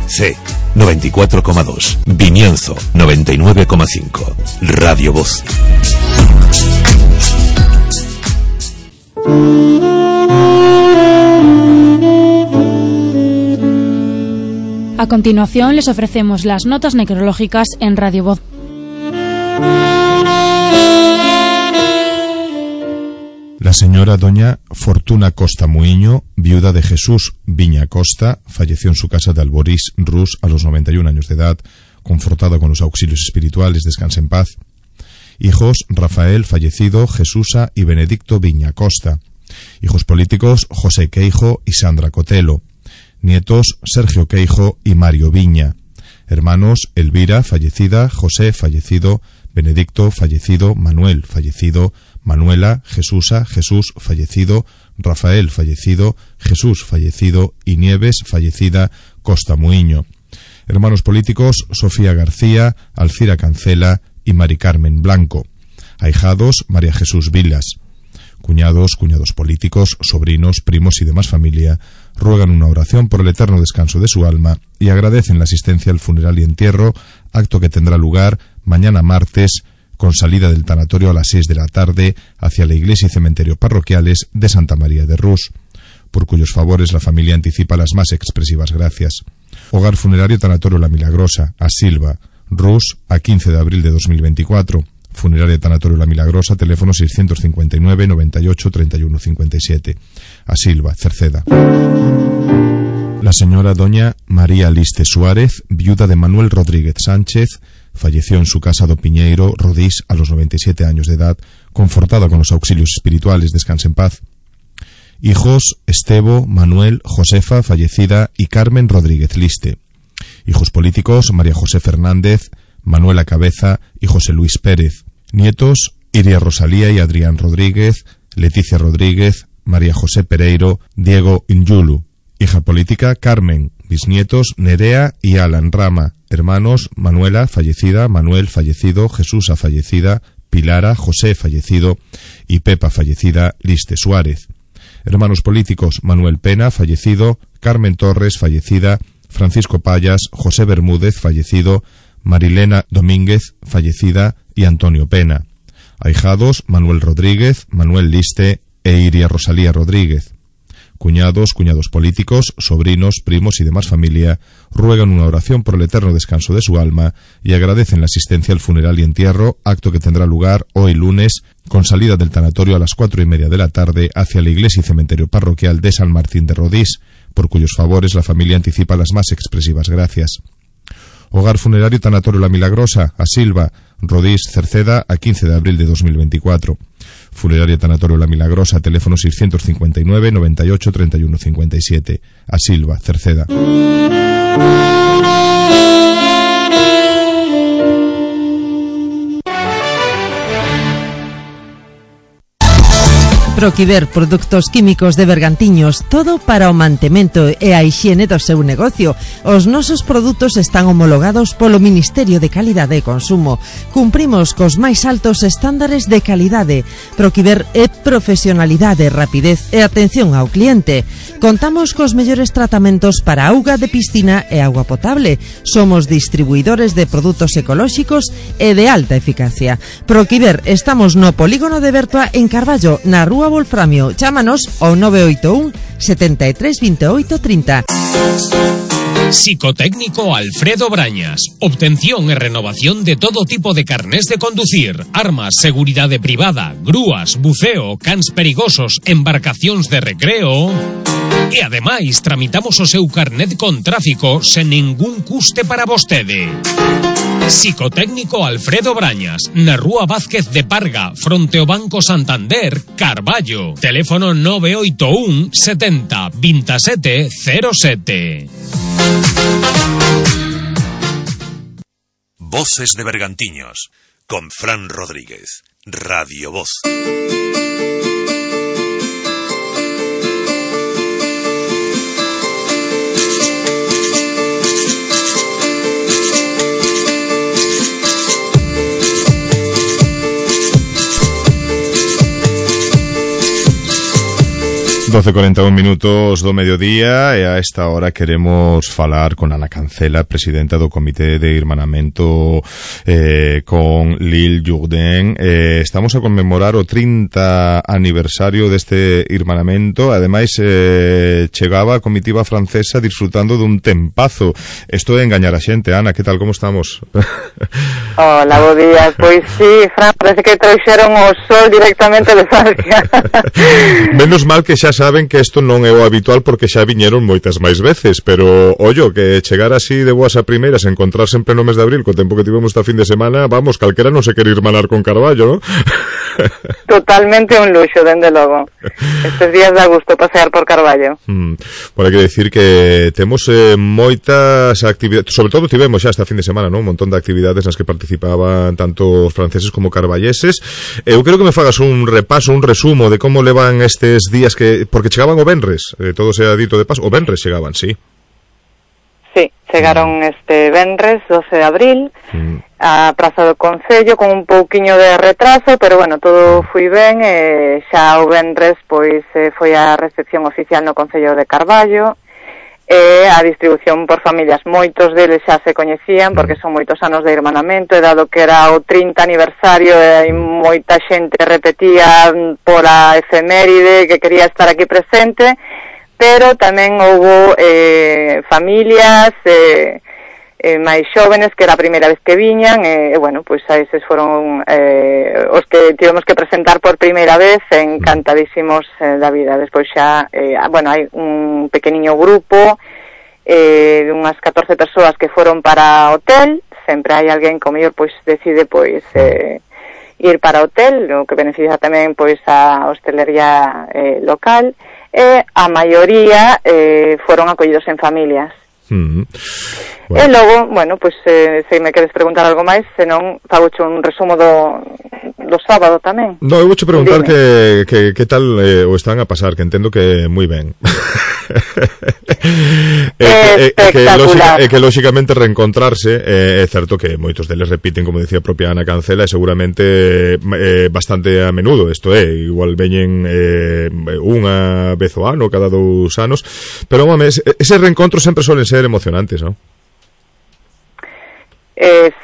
C 94,2, Vimianzo 99,5, Radio Voz. A continuación les ofrecemos las notas necrológicas en Radio Voz. La señora doña Fortuna Costa Muiño, viuda de Jesús Viña Costa, falleció en su casa de Alborís, Rus, a los 91 años de edad, confortada con los auxilios espirituales, descanse en paz. Hijos: Rafael, fallecido, Jesusa y Benedicto Viña Costa. Hijos políticos: José Queijo y Sandra Cotelo. Nietos: Sergio Queijo y Mario Viña. Hermanos: Elvira, fallecida, José, fallecido, Benedicto, fallecido, Manuel, fallecido, Manuela, Jesusa, Jesús, fallecido, Rafael, fallecido, Jesús, fallecido y Nieves, fallecida, Costa Muiño. Hermanos políticos: Sofía García, Alcira Cancela y Mari Carmen Blanco. Ahijados: María Jesús Vilas. Cuñados políticos, sobrinos, primos y demás familia ruegan una oración por el eterno descanso de su alma y agradecen la asistencia al funeral y entierro, acto que tendrá lugar mañana martes, con salida del tanatorio a las 6 de la tarde hacia la iglesia y cementerio parroquiales de Santa María de Rus, por cuyos favores la familia anticipa las más expresivas gracias. Hogar funerario Tanatorio La Milagrosa, a Silva, Rus, a 15 de abril de 2024. Funeraria Tanatorio La Milagrosa, teléfono 659 98 31 57. A Silva, Cerceda. La señora doña María Liste Suárez, viuda de Manuel Rodríguez Sánchez, falleció en su casa do Piñeiro, Rodís, a los 97 años de edad, confortada con los auxilios espirituales, descanse en paz. Hijos: Estebo, Manuel, Josefa, fallecida, y Carmen Rodríguez Liste. Hijos políticos: María José Fernández, Manuela Cabeza y José Luis Pérez. Nietos: Iria Rosalía y Adrián Rodríguez, Leticia Rodríguez, María José Pereiro, Diego Injulu. Hija política: Carmen. Bisnietos: Nerea y Alan Rama. Hermanos: Manuela, fallecida, Manuel, fallecido, Jesús, fallecida, Pilara, José, fallecido, y Pepa, fallecida, Liste Suárez. Hermanos políticos: Manuel Pena, fallecido, Carmen Torres, fallecida, Francisco Payas, José Bermúdez, fallecido, Marilena Domínguez, fallecida, y Antonio Pena. Ahijados: Manuel Rodríguez, Manuel Liste e Iria Rosalía Rodríguez. Cuñados, cuñados políticos, sobrinos, primos y demás familia ruegan una oración por el eterno descanso de su alma y agradecen la asistencia al funeral y entierro, acto que tendrá lugar hoy lunes, con salida del tanatorio a las 4:30 de la tarde hacia la iglesia y cementerio parroquial de San Martín de Rodís, por cuyos favores la familia anticipa las más expresivas gracias. Hogar Funerario Tanatorio La Milagrosa, a Silva, Rodís, Cerceda, a 15 de abril de 2024. Funerario Tanatorio La Milagrosa, teléfono 659 98 31 57. A Silva, Cerceda. Proquiver, produtos químicos de Bergantiños, todo para o mantemento e a hixiene do seu negocio. Os nosos produtos están homologados polo Ministerio de Calidade e Consumo. Cumprimos cos máis altos estándares de calidade. Proquiver é profesionalidade, rapidez e atención ao cliente. Contamos cos mellores tratamentos para auga de piscina e auga potable. Somos distribuidores de produtos ecolóxicos e de alta eficacia. Proquiver, estamos no Polígono de Bertoa en Carballo, na Rúa Wolframio. Chámanos ao 981 73 28 30. Psicotécnico Alfredo Brañas. Obtención e renovación de todo tipo de carnés de conducir, armas, seguridade privada, grúas, buceo, cans perigosos, embarcacións de recreo. E ademais tramitamos o seu carnet con tráfico sen ningún custe para vostede. Psicotécnico Alfredo Brañas, na Rúa Vázquez de Parga, fronte ao Banco Santander, Carballo. Teléfono 981 70 27 07. Voces de Bergantiños, con Fran Rodríguez, Radio Voz. 12:41 minutos do mediodía e a esta hora queremos falar con Ana Cancela, presidenta do Comité de Irmanamento con Lille Jourdain. Estamos a conmemorar o 30 aniversario deste irmanamento. Ademais, chegaba a comitiva francesa disfrutando dun tempazo. Isto é engañar a xente. Ana, que tal, como estamos? Hola, bo día. Pois sí, Fran, parece que trouxeron o sol directamente de Francia. Menos mal que xa saben que isto non é o habitual porque xa viñeron moitas máis veces, pero ollo, que chegar así de boas a primeiras, encontrarse en pleno mes de abril, co tempo que tivemos esta fin de semana, vamos, calquera non se quere irmanar con Carballo, non? Totalmente un luxo, dende logo. Estes días dá gusto pasear por Carballo. Por hai que decir que temos moitas actividades, sobre todo tivemos xa esta fin de semana, non? Un montón de actividades nas que participaban tanto os franceses como carballeses. Eu quero que me fagas un repaso, un resumo de como levan estes días que... Porque chegaban o venres, todo se ha dito de paso, o venres chegaban, sí. Sí, chegaron este venres, 12 de abril, a Praza do Concello con un pouquiño de retraso, pero bueno, todo foi ben, xa o venres pois foi a recepción oficial no Concello de Carballo, e a distribución por familias. Moitos deles xa se coñecían porque son moitos anos de irmanamento, e dado que era o 30 aniversario e moita xente repetía pola efeméride que quería estar aquí presente, pero tamén houbo familias máis xóvenes que era a primeira vez que viñan, e bueno, pois a eses foron os que tivemos que presentar por primeira vez, encantadísimos da vida. Despois xa, bueno, hai un pequeniño grupo de unhas 14 persoas que foron para hotel. Sempre hai alguén que o mellor pois decide pois ir para hotel, o que beneficia tamén pois a hostelería local. e a maioría foron acollidos en familias. Bueno. E logo, bueno, pois se me queres preguntar algo máis, senón fagoche un resumo do sábado tamén. No, eu vouche preguntar que tal o están a pasar, que entendo que moi ben. que lóxicamente reencontrarse é certo que moitos deles repiten, como decía a propia Ana Cancela, e seguramente bastante a menudo, isto é, igual veñen unha vez ao ano, cada 2 anos, pero home, ese reencontro sempre solen ser emocionantes, non?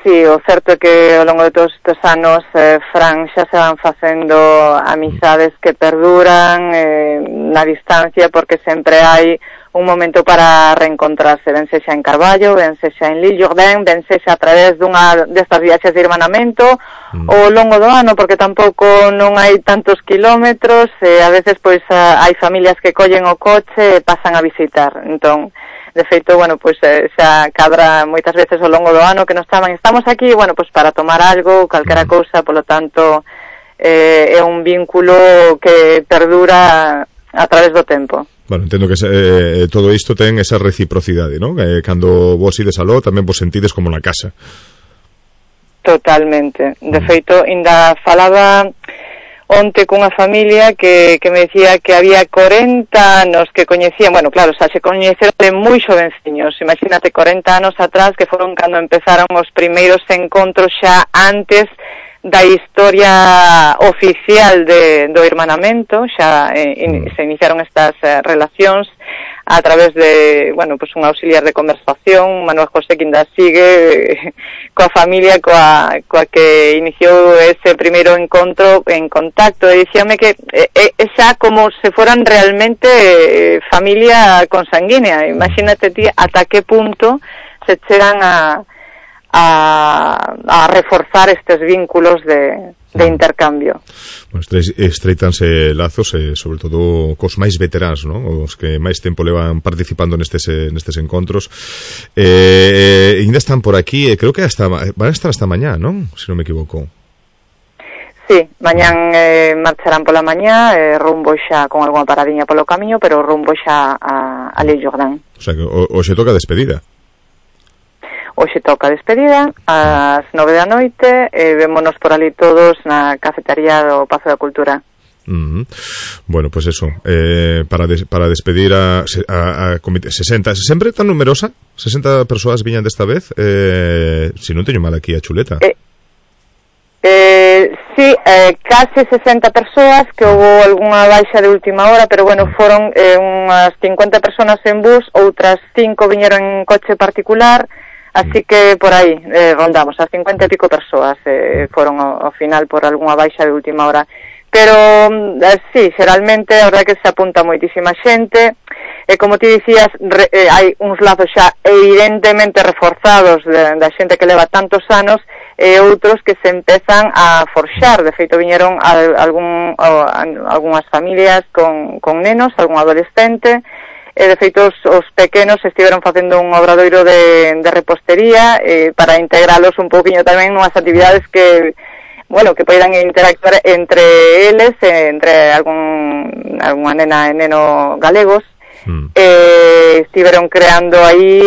Sí, o certo é que ao longo de todos estes anos, Fran, xa se van facendo amizades que perduran na distancia, porque sempre hai un momento para reencontrarse, ben sexa en Carballo, ben sexa en Lille-Jourdain, ben sexa a través dunha destas viaxes de irmanamento ao longo do ano, porque tampouco non hai tantos kilómetros, a veces pois hai familias que collen o coche e pasan a visitar. Entón, de feito, bueno, pois xa cadra moitas veces ao longo do ano que nos chaman, estamos aquí, bueno, pois para tomar algo, calquera cousa, polo tanto é un vínculo que perdura a través do tempo. Bueno, entendo que todo isto ten esa reciprocidade, non? Cando vos ides aló, tamén vos sentides como na casa. Totalmente. De feito, ainda falaba onte cunha familia que me decía que había 40 anos que coñecían, bueno, claro, xa se coñeceron de moi xovenciños, imagínate 40 anos atrás, que foron cando empezaron os primeiros encontros xa antes da historia oficial do irmanamento, xa se iniciaron estas relacións a través de, bueno, pues un auxiliar de conversación, Manuel José, que ainda sigue coa familia coa que iniciou ese primeiro encontro en contacto, e dicíame que é xa como se foran realmente familia consanguínea. Imagínate ti ata que punto se chegan a reforzar estes vínculos de intercambio. Bueno, estreitanse lazos, sobre todo cos máis veteranos, non? Os que máis tempo levan participando nestes encontros. Ainda están por aquí, creo que van a estar hasta mañá, non? Se non me equivoco. Sí, mañán marcharán pola mañá, rumbo xa con algunha paradiña polo camiño, pero rumbo xa a Lille-Jourdain. O sea, que hoxe toca despedida. Hoxe toca despedida ás 9 da noite, vémonos por ali todos na cafetería do Pazo da Cultura. Bueno, pues eso, para despedir a comité 60, sempre tan numerosa, 60 persoas viñan desta vez, se non teño mal aquí a chuleta. Sí, case 60 persoas, que houve algunha baixa de última hora, pero bueno, foron unhas 50 persoas en bus, outras 5 viñeron en coche particular. Así que por aí rondamos as 50 e pico persoas, foron ao final por algunha baixa de última hora. Pero sí, xeralmente a verdade que se apunta moitísima xente, e como ti dicías, hai uns lazos xa evidentemente reforzados da xente que leva tantos anos, e outros que se empezan a forxar. De feito, viñeron algunhas familias con nenos, algún adolescente, e de feito os pequenos estiveron facendo un obradoiro de repostería para integralos un pouquiño tamén nunhas actividades que, bueno, que poidan interactuar entre eles, entre algunha nena e neno galegos. Estiveron creando aí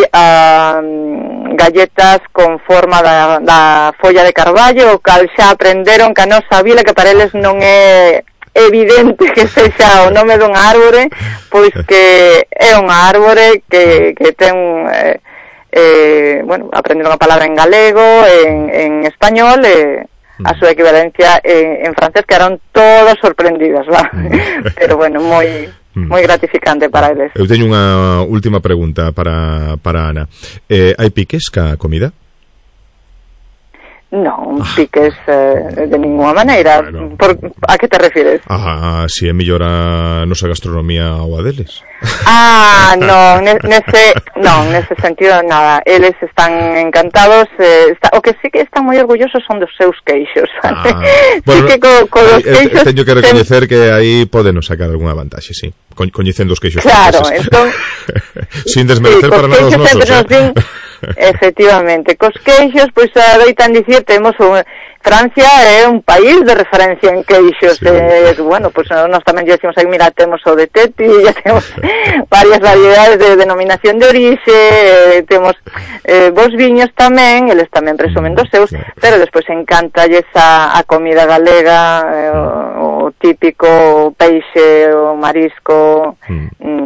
galletas con forma da folla de carballo, o cal xa aprenderon que a nosa vila, que para eles non é evidente que sexa o nome dunha árbore, pois que é unha árbore que ten bueno, aprenderon a palabra en galego, en español, a súa equivalencia en francés, que eran todos sorprendidos, va. Pero bueno, moi gratificante para eles. Eu teño unha última pregunta para Ana. Hai piques ca comida? Non, piques de ninguna maneira. Bueno. A que te refires? Si é mellor a nosa gastronomía ou a deles. Non, nese sentido nada. Eles están encantados, o que sí que están moi orgullosos son dos seus queixos. Bueno, sí que los queixos teño que recoñecer que aí podenos sacar algunha vantaxe, sí. Coñecendo os queixos. Claro, entón sin desmerecer para nada os nosos. Efectivamente, cos queixos, pois adoitan dicir, Francia é un país de referencia en queixos. Bueno, pues nós tamén lle decimos aí, mira, temos o de Teti, ya temos varias variedades de denominación de orixe, temos vos viños tamén, eles tamén presumen dos seus, pero despois encantalles a comida galega, o típico peixe, o marisco,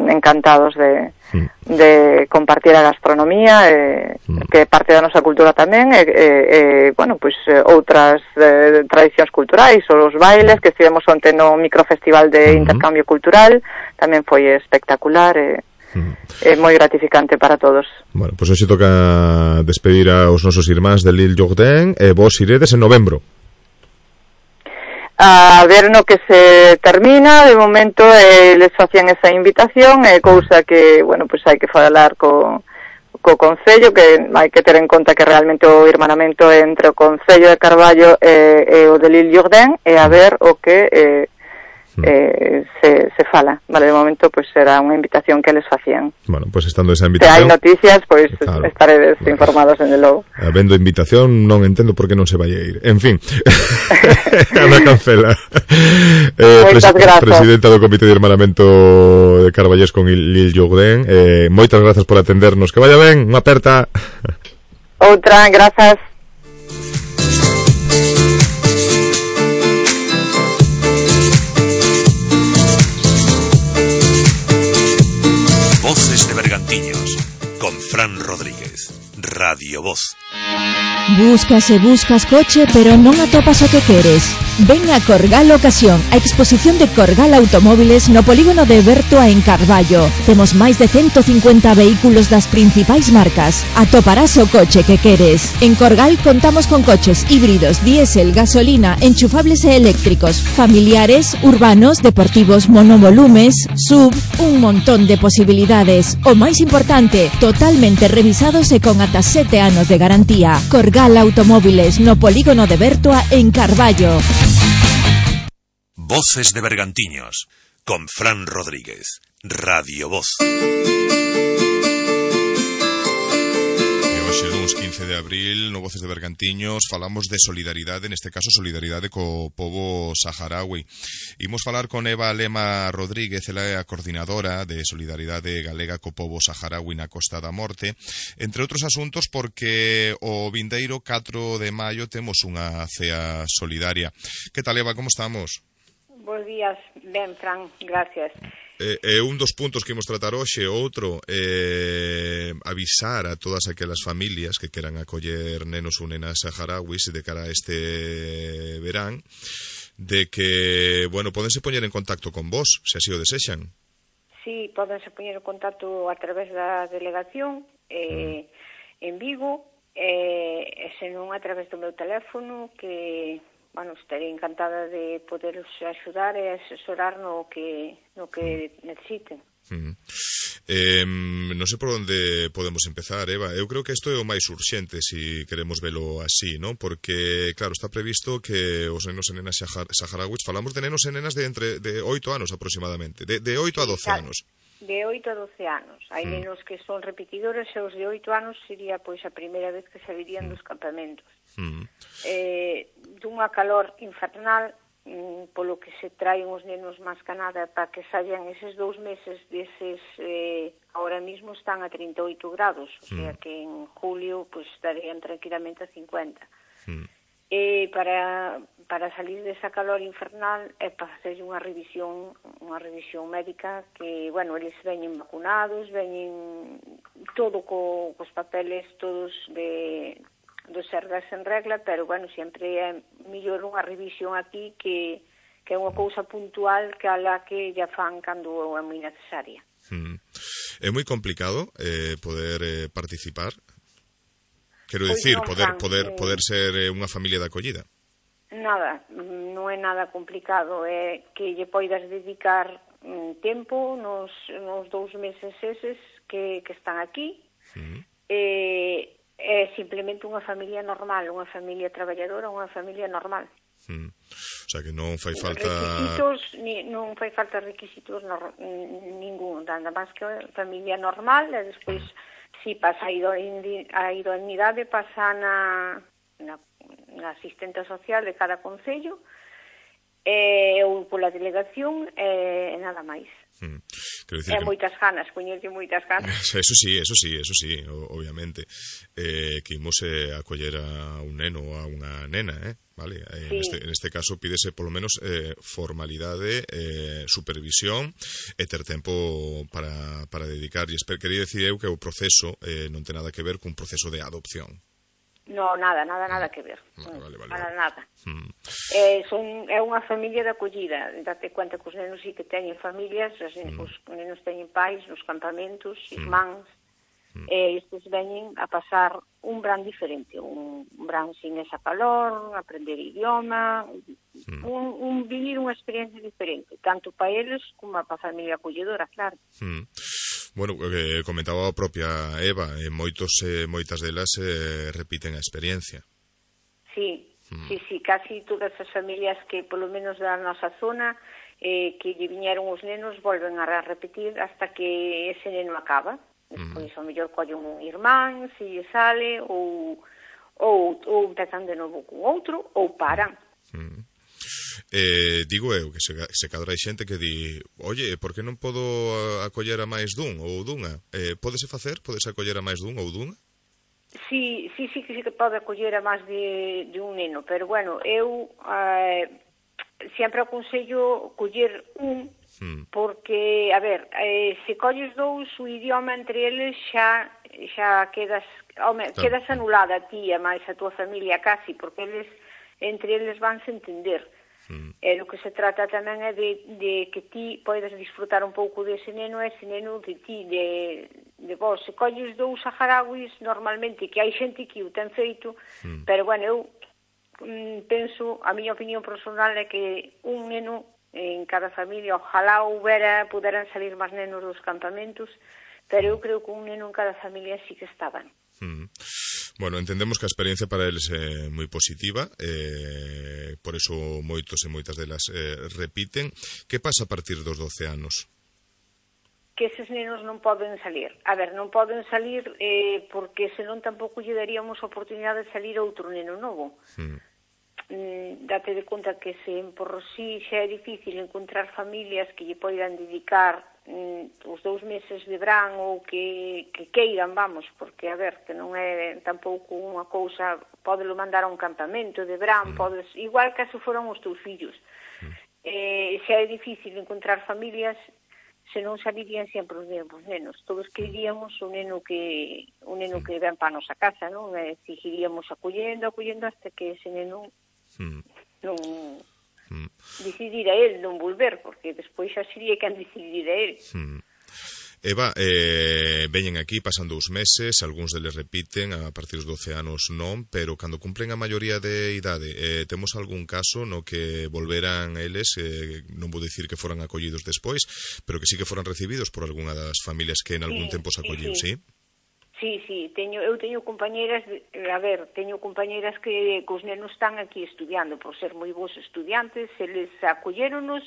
encantados de compartir a gastronomía, que é parte da nosa cultura tamén, bueno, pois outras tradicións culturais, ou os bailes que estivemos onte no microfestival de intercambio cultural, tamén foi espectacular, é moi gratificante para todos. Bueno, pois hoxe toca despedir aos nosos irmáns de L'Île Jourdain, e vos iredes en novembro. A ver no que se termina, de momento les facían esa invitación, é cousa que, bueno, pois hai que falar co Concello, que hai que ter en conta que realmente o irmanamento entre o Concello de Carballo e o de L'Île Jourdain, e a ver o que se fala, vale, de momento pois será unha invitación que les facían. Bueno, pois estando esa invitación, se hai noticias, pois claro, estaredes informados en el logo. Habendo invitación, non entendo por que non se vai a ir. En fin, Ana Cancela, presidenta do Comité de Irmanamento de Carballés con L'Île Jourdain, moitas grazas por atendernos, que vaya ben, unha aperta. Outra, grazas. Voces de Bergantiños, con Fran Rodríguez, Radio Voz. Buscas coche, pero non atopas o que queres. Ven a Corgal Ocasión, a exposición de Corgal Automóviles no polígono de Bertoa en Carballo. Temos máis de 150 vehículos das principais marcas. Atoparás o coche que queres. En Corgal contamos con coches híbridos, diésel, gasolina, enchufables e eléctricos, familiares, urbanos, deportivos, monovolumes, sub, un montón de posibilidades. O máis importante, totalmente revisados e con ata 7 anos de garantía. Corgal Automóviles no polígono de Bertoa en Carballo. Voces de Bergantiños, con Fran Rodríguez, Radio Voz. Hoxe, luns 15 de abril, no Voces de Bergantiños, falamos de solidaridade, neste caso solidaridade co pobo saharaui. Imos falar con Eva Lema Rodríguez, ela é a coordinadora de solidaridade galega co pobo saharaui na Costa da Morte, entre outros asuntos porque o vindeiro 4 de maio temos unha cea solidaria. Que tal, Eva, como estamos? Bos días, ben, Fran, gracias. Un dos puntos que imos tratar hoxe, outro, avisar a todas aquelas familias que queran acoller nenos ou nenas saharauis de cara a este verán, de que, bueno, podense poñer en contacto con vos, se así o desexan. Sí, podense poñer en contacto a través da delegación en Vigo, e senón a través do meu teléfono, que, bueno, estarei encantada de poderos axudar e asesorar no que necesiten. Non sei por onde podemos empezar, Eva. Eu creo que isto é o máis urxente, se queremos velo así, non? Porque, claro, está previsto que os nenos e nenas saharauis, falamos de nenos e nenas de entre 8 anos aproximadamente, de 8 a 12 anos. De 8 a 12 anos. Hai nenos que son repetidores e os de 8 anos sería pois a primeira vez que salirían dos campamentos. Dunha calor infernal, polo que se traen os nenos máis que nada para que saian eses 2 meses deses, ahora mismo están a 38 grados, o sea que en julio pues estarían tranquilamente a 50. E para salir desa calor infernal é para facer unha revisión médica que, bueno, eles veñen vacunados, veñen todo cos papeles todos dos sergas en regla, pero, bueno, sempre é mellor unha revisión aquí que é unha cousa puntual que a la que ya fan cando é moi necesaria. É moi complicado poder participar? Quero dicir, poder ser unha familia de acollida. Nada, non é nada complicado, é que lle poidas dedicar tempo nos 2 meses eses que están aquí, é simplemente unha familia normal, unha familia traballadora, unha familia normal. O sea que non fai falta non fai falta requisitos ningún, nada máis que familia normal, e despois si pasa a idoneidade, pasa unha asistente social de cada concello, ou pola delegación, e nada máis. E moitas ganas, coñerlle moitas ganas. Eso sí, obviamente. Que imos a acoller a un neno ou a unha nena, vale? Sí. Neste caso pídese polo menos formalidade, supervisión e ter tempo para dedicar. E quería dicir eu que o proceso non ten nada que ver cun proceso de adopción. No, nada que ver. Vale. Para nada. É unha familia de acollida. Date cuenta que os nenos sí que teñen familias, os nenos teñen pais nos campamentos, irmáns, e estes veñen a pasar un verán diferente, un verán sin esa calor, aprender idioma, vivir unha experiencia diferente, tanto para eles como para a familia acolledora, claro. Bueno, comentaba a propia Eva, moitas delas repiten a experiencia. Sí, casi todas as familias que polo menos da nosa zona que lle viñeron os nenos volven a repetir hasta que ese neno acaba. Despois ao mellor collen un irmán, se lle sale, ou empezan de novo con outro, ou paran. Digo eu que se cadra hai xente que di, oye, por que non podo acoller a máis dun ou dunha? Pódese facer? Pódese acoller a máis dun ou dunha? Sí que pode acoller a máis de un neno, pero bueno, eu sempre aconsello coller un, porque, a ver, se colles dous, o idioma entre eles xa quedas anulada a ti e máis a tua familia casi, porque entre eles vanse entender. E o que se trata tamén é de que ti podes disfrutar un pouco dese neno e ese neno de ti, de vos. Se colles dous saharauis, normalmente, que hai xente que o ten feito, pero, bueno, eu penso, a miña opinión personal é que un neno en cada familia, ojalá puderan salir máis nenos dos campamentos, pero eu creo que un neno en cada familia sí que estaban. Bueno, entendemos que a experiencia para eles é moi positiva, por eso moitos e moitas delas repiten. Que pasa a partir dos 12 anos? Que eses nenos non poden salir. A ver, non poden salir porque senón tampouco lle daríamos a oportunidade de salir outro neno novo. Date de conta que se por si xa é difícil encontrar familias que lle poidan dedicar os 2 meses de verán ou que queiran, vamos, porque, a ver, que non é tampouco unha cousa, podelo mandar a un campamento de verán, podes, igual que se foran os teus fillos. Xa é difícil encontrar familias, se non salirían sempre os nenos. Todos queríamos un neno que ven para a nosa casa, non? Seguiríamos acollendo hasta que ese neno non decidir a él non volver, porque despois xa sería quen decidir a él. Eva, veñen aquí, pasan 2 meses, algúns deles repiten, a partir dos 12 anos non, pero cando cumplen a maioría de idade, temos algún caso no que volveran eles, non vou dicir que foran acollidos despois, pero que sí que foran recibidos por algunha das familias que en algún tempo se acolliu, sí? Sí, eu teño compañeiras, que os nenos están aquí estudiando, por ser moi bons estudiantes, eles acolléronos,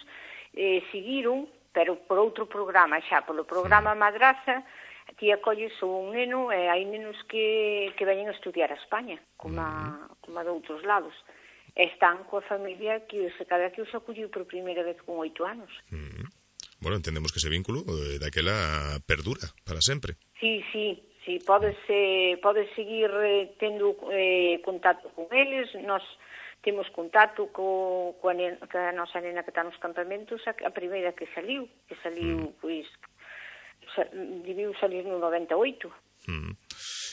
seguiron, pero por outro programa xa, polo programa Madrasa, ti acolles un neno, e hai nenos que veñen a estudiar a España, como a de outros lados. Están coa familia que cada que os acolliu por primeira vez con 8 anos. Bueno, entendemos que ese vínculo daquela perdura para sempre. Sí, podes seguir tendo contacto con eles. Nós temos contacto coa nosa nena que está nos campamentos, a primeira que saliu, pois, debiu salir no 98.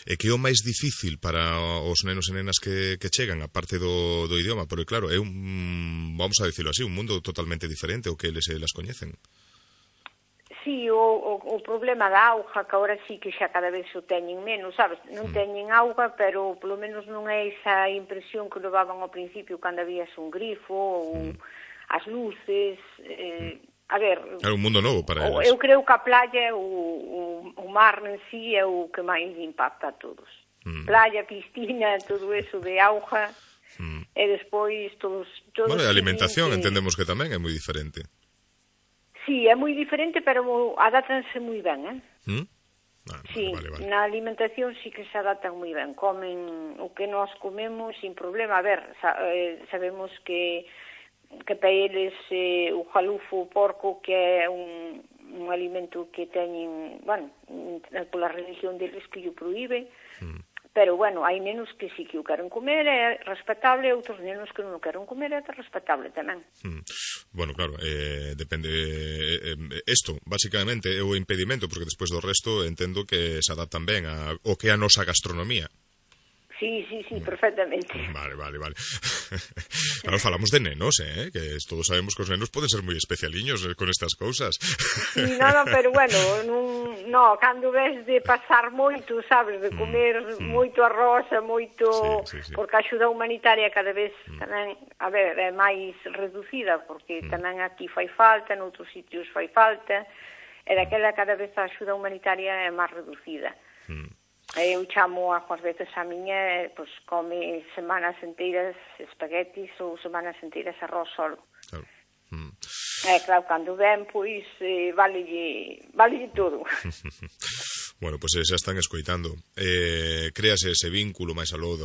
E que é o máis difícil para os nenos e nenas que chegan, a parte do idioma, porque claro, é vamos a dicirlo así, un mundo totalmente diferente ao que eles las coñecen. Sí, o problema da auga, que agora sí que xa cada vez o teñen menos, sabes? Non teñen auga, pero polo menos non é esa impresión que levaban ao principio cando habías un grifo ou as luces. A ver... É un mundo novo para eles. Eu creo que a playa, o mar en sí é o que máis impacta a todos. Playa, piscina, todo eso de auga, e despois todos... Bueno, e a alimentación entendemos que tamén é moi diferente. Sí, é moi diferente, pero adátanse moi ben, Sí, na alimentación sí que se adaptan moi ben, comen o que nós comemos sin problema. A ver, sabemos que para eles o jalufo, o porco, que é un alimento que teñen, bueno, pola religión deles que o proíbe, pero, bueno, hai nenos que sí que o queren comer, é respetable, outros nenos que non o queren comer, é respetable tamén. Bueno, claro, depende. Isto, basicamente, é o impedimento, porque despois do resto entendo que se adaptan ben ao que é a nosa gastronomía. Sí, perfectamente. Vale. Claro, falamos de nenos, que todos sabemos que os nenos poden ser moi especialiños con estas cousas. Sí, pero bueno, cando ves de pasar moito, sabes, de comer moito arroz, moito, porque a axuda humanitaria cada vez tamén, a ver, é máis reducida, porque tamén aquí fai falta, noutros sitios fai falta, e daquela cada vez a axuda humanitaria é máis reducida. Eu chamo ás veces a miña, pois come semanas enteiras espaguetis ou semanas enteiras arroz solo. Claro, cando ven, pois valelle todo. Bueno, pois xa están escoitando. Créase ese vínculo máis aló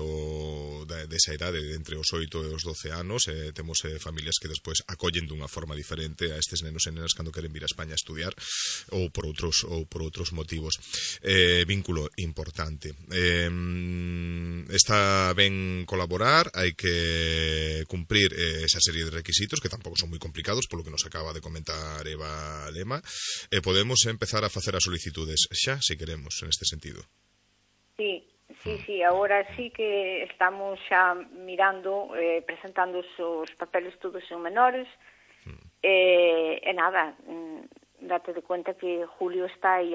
desa idade entre os 8 e os 12 anos. Temos familias que despois acollen dunha forma diferente a estes nenos e nenas cando queren vir a España a estudiar ou por outros motivos. Vínculo importante. Está ben colaborar, hai que cumprir esa serie de requisitos que tampouco son moi complicados, polo que nos acaba de comentar Eva Lema. Podemos empezar a facer as solicitudes xa, se queremos, en este sentido. Sí, agora sí que estamos xa mirando, presentando os papeles todos en menores, e nada, date de cuenta que Julio está aí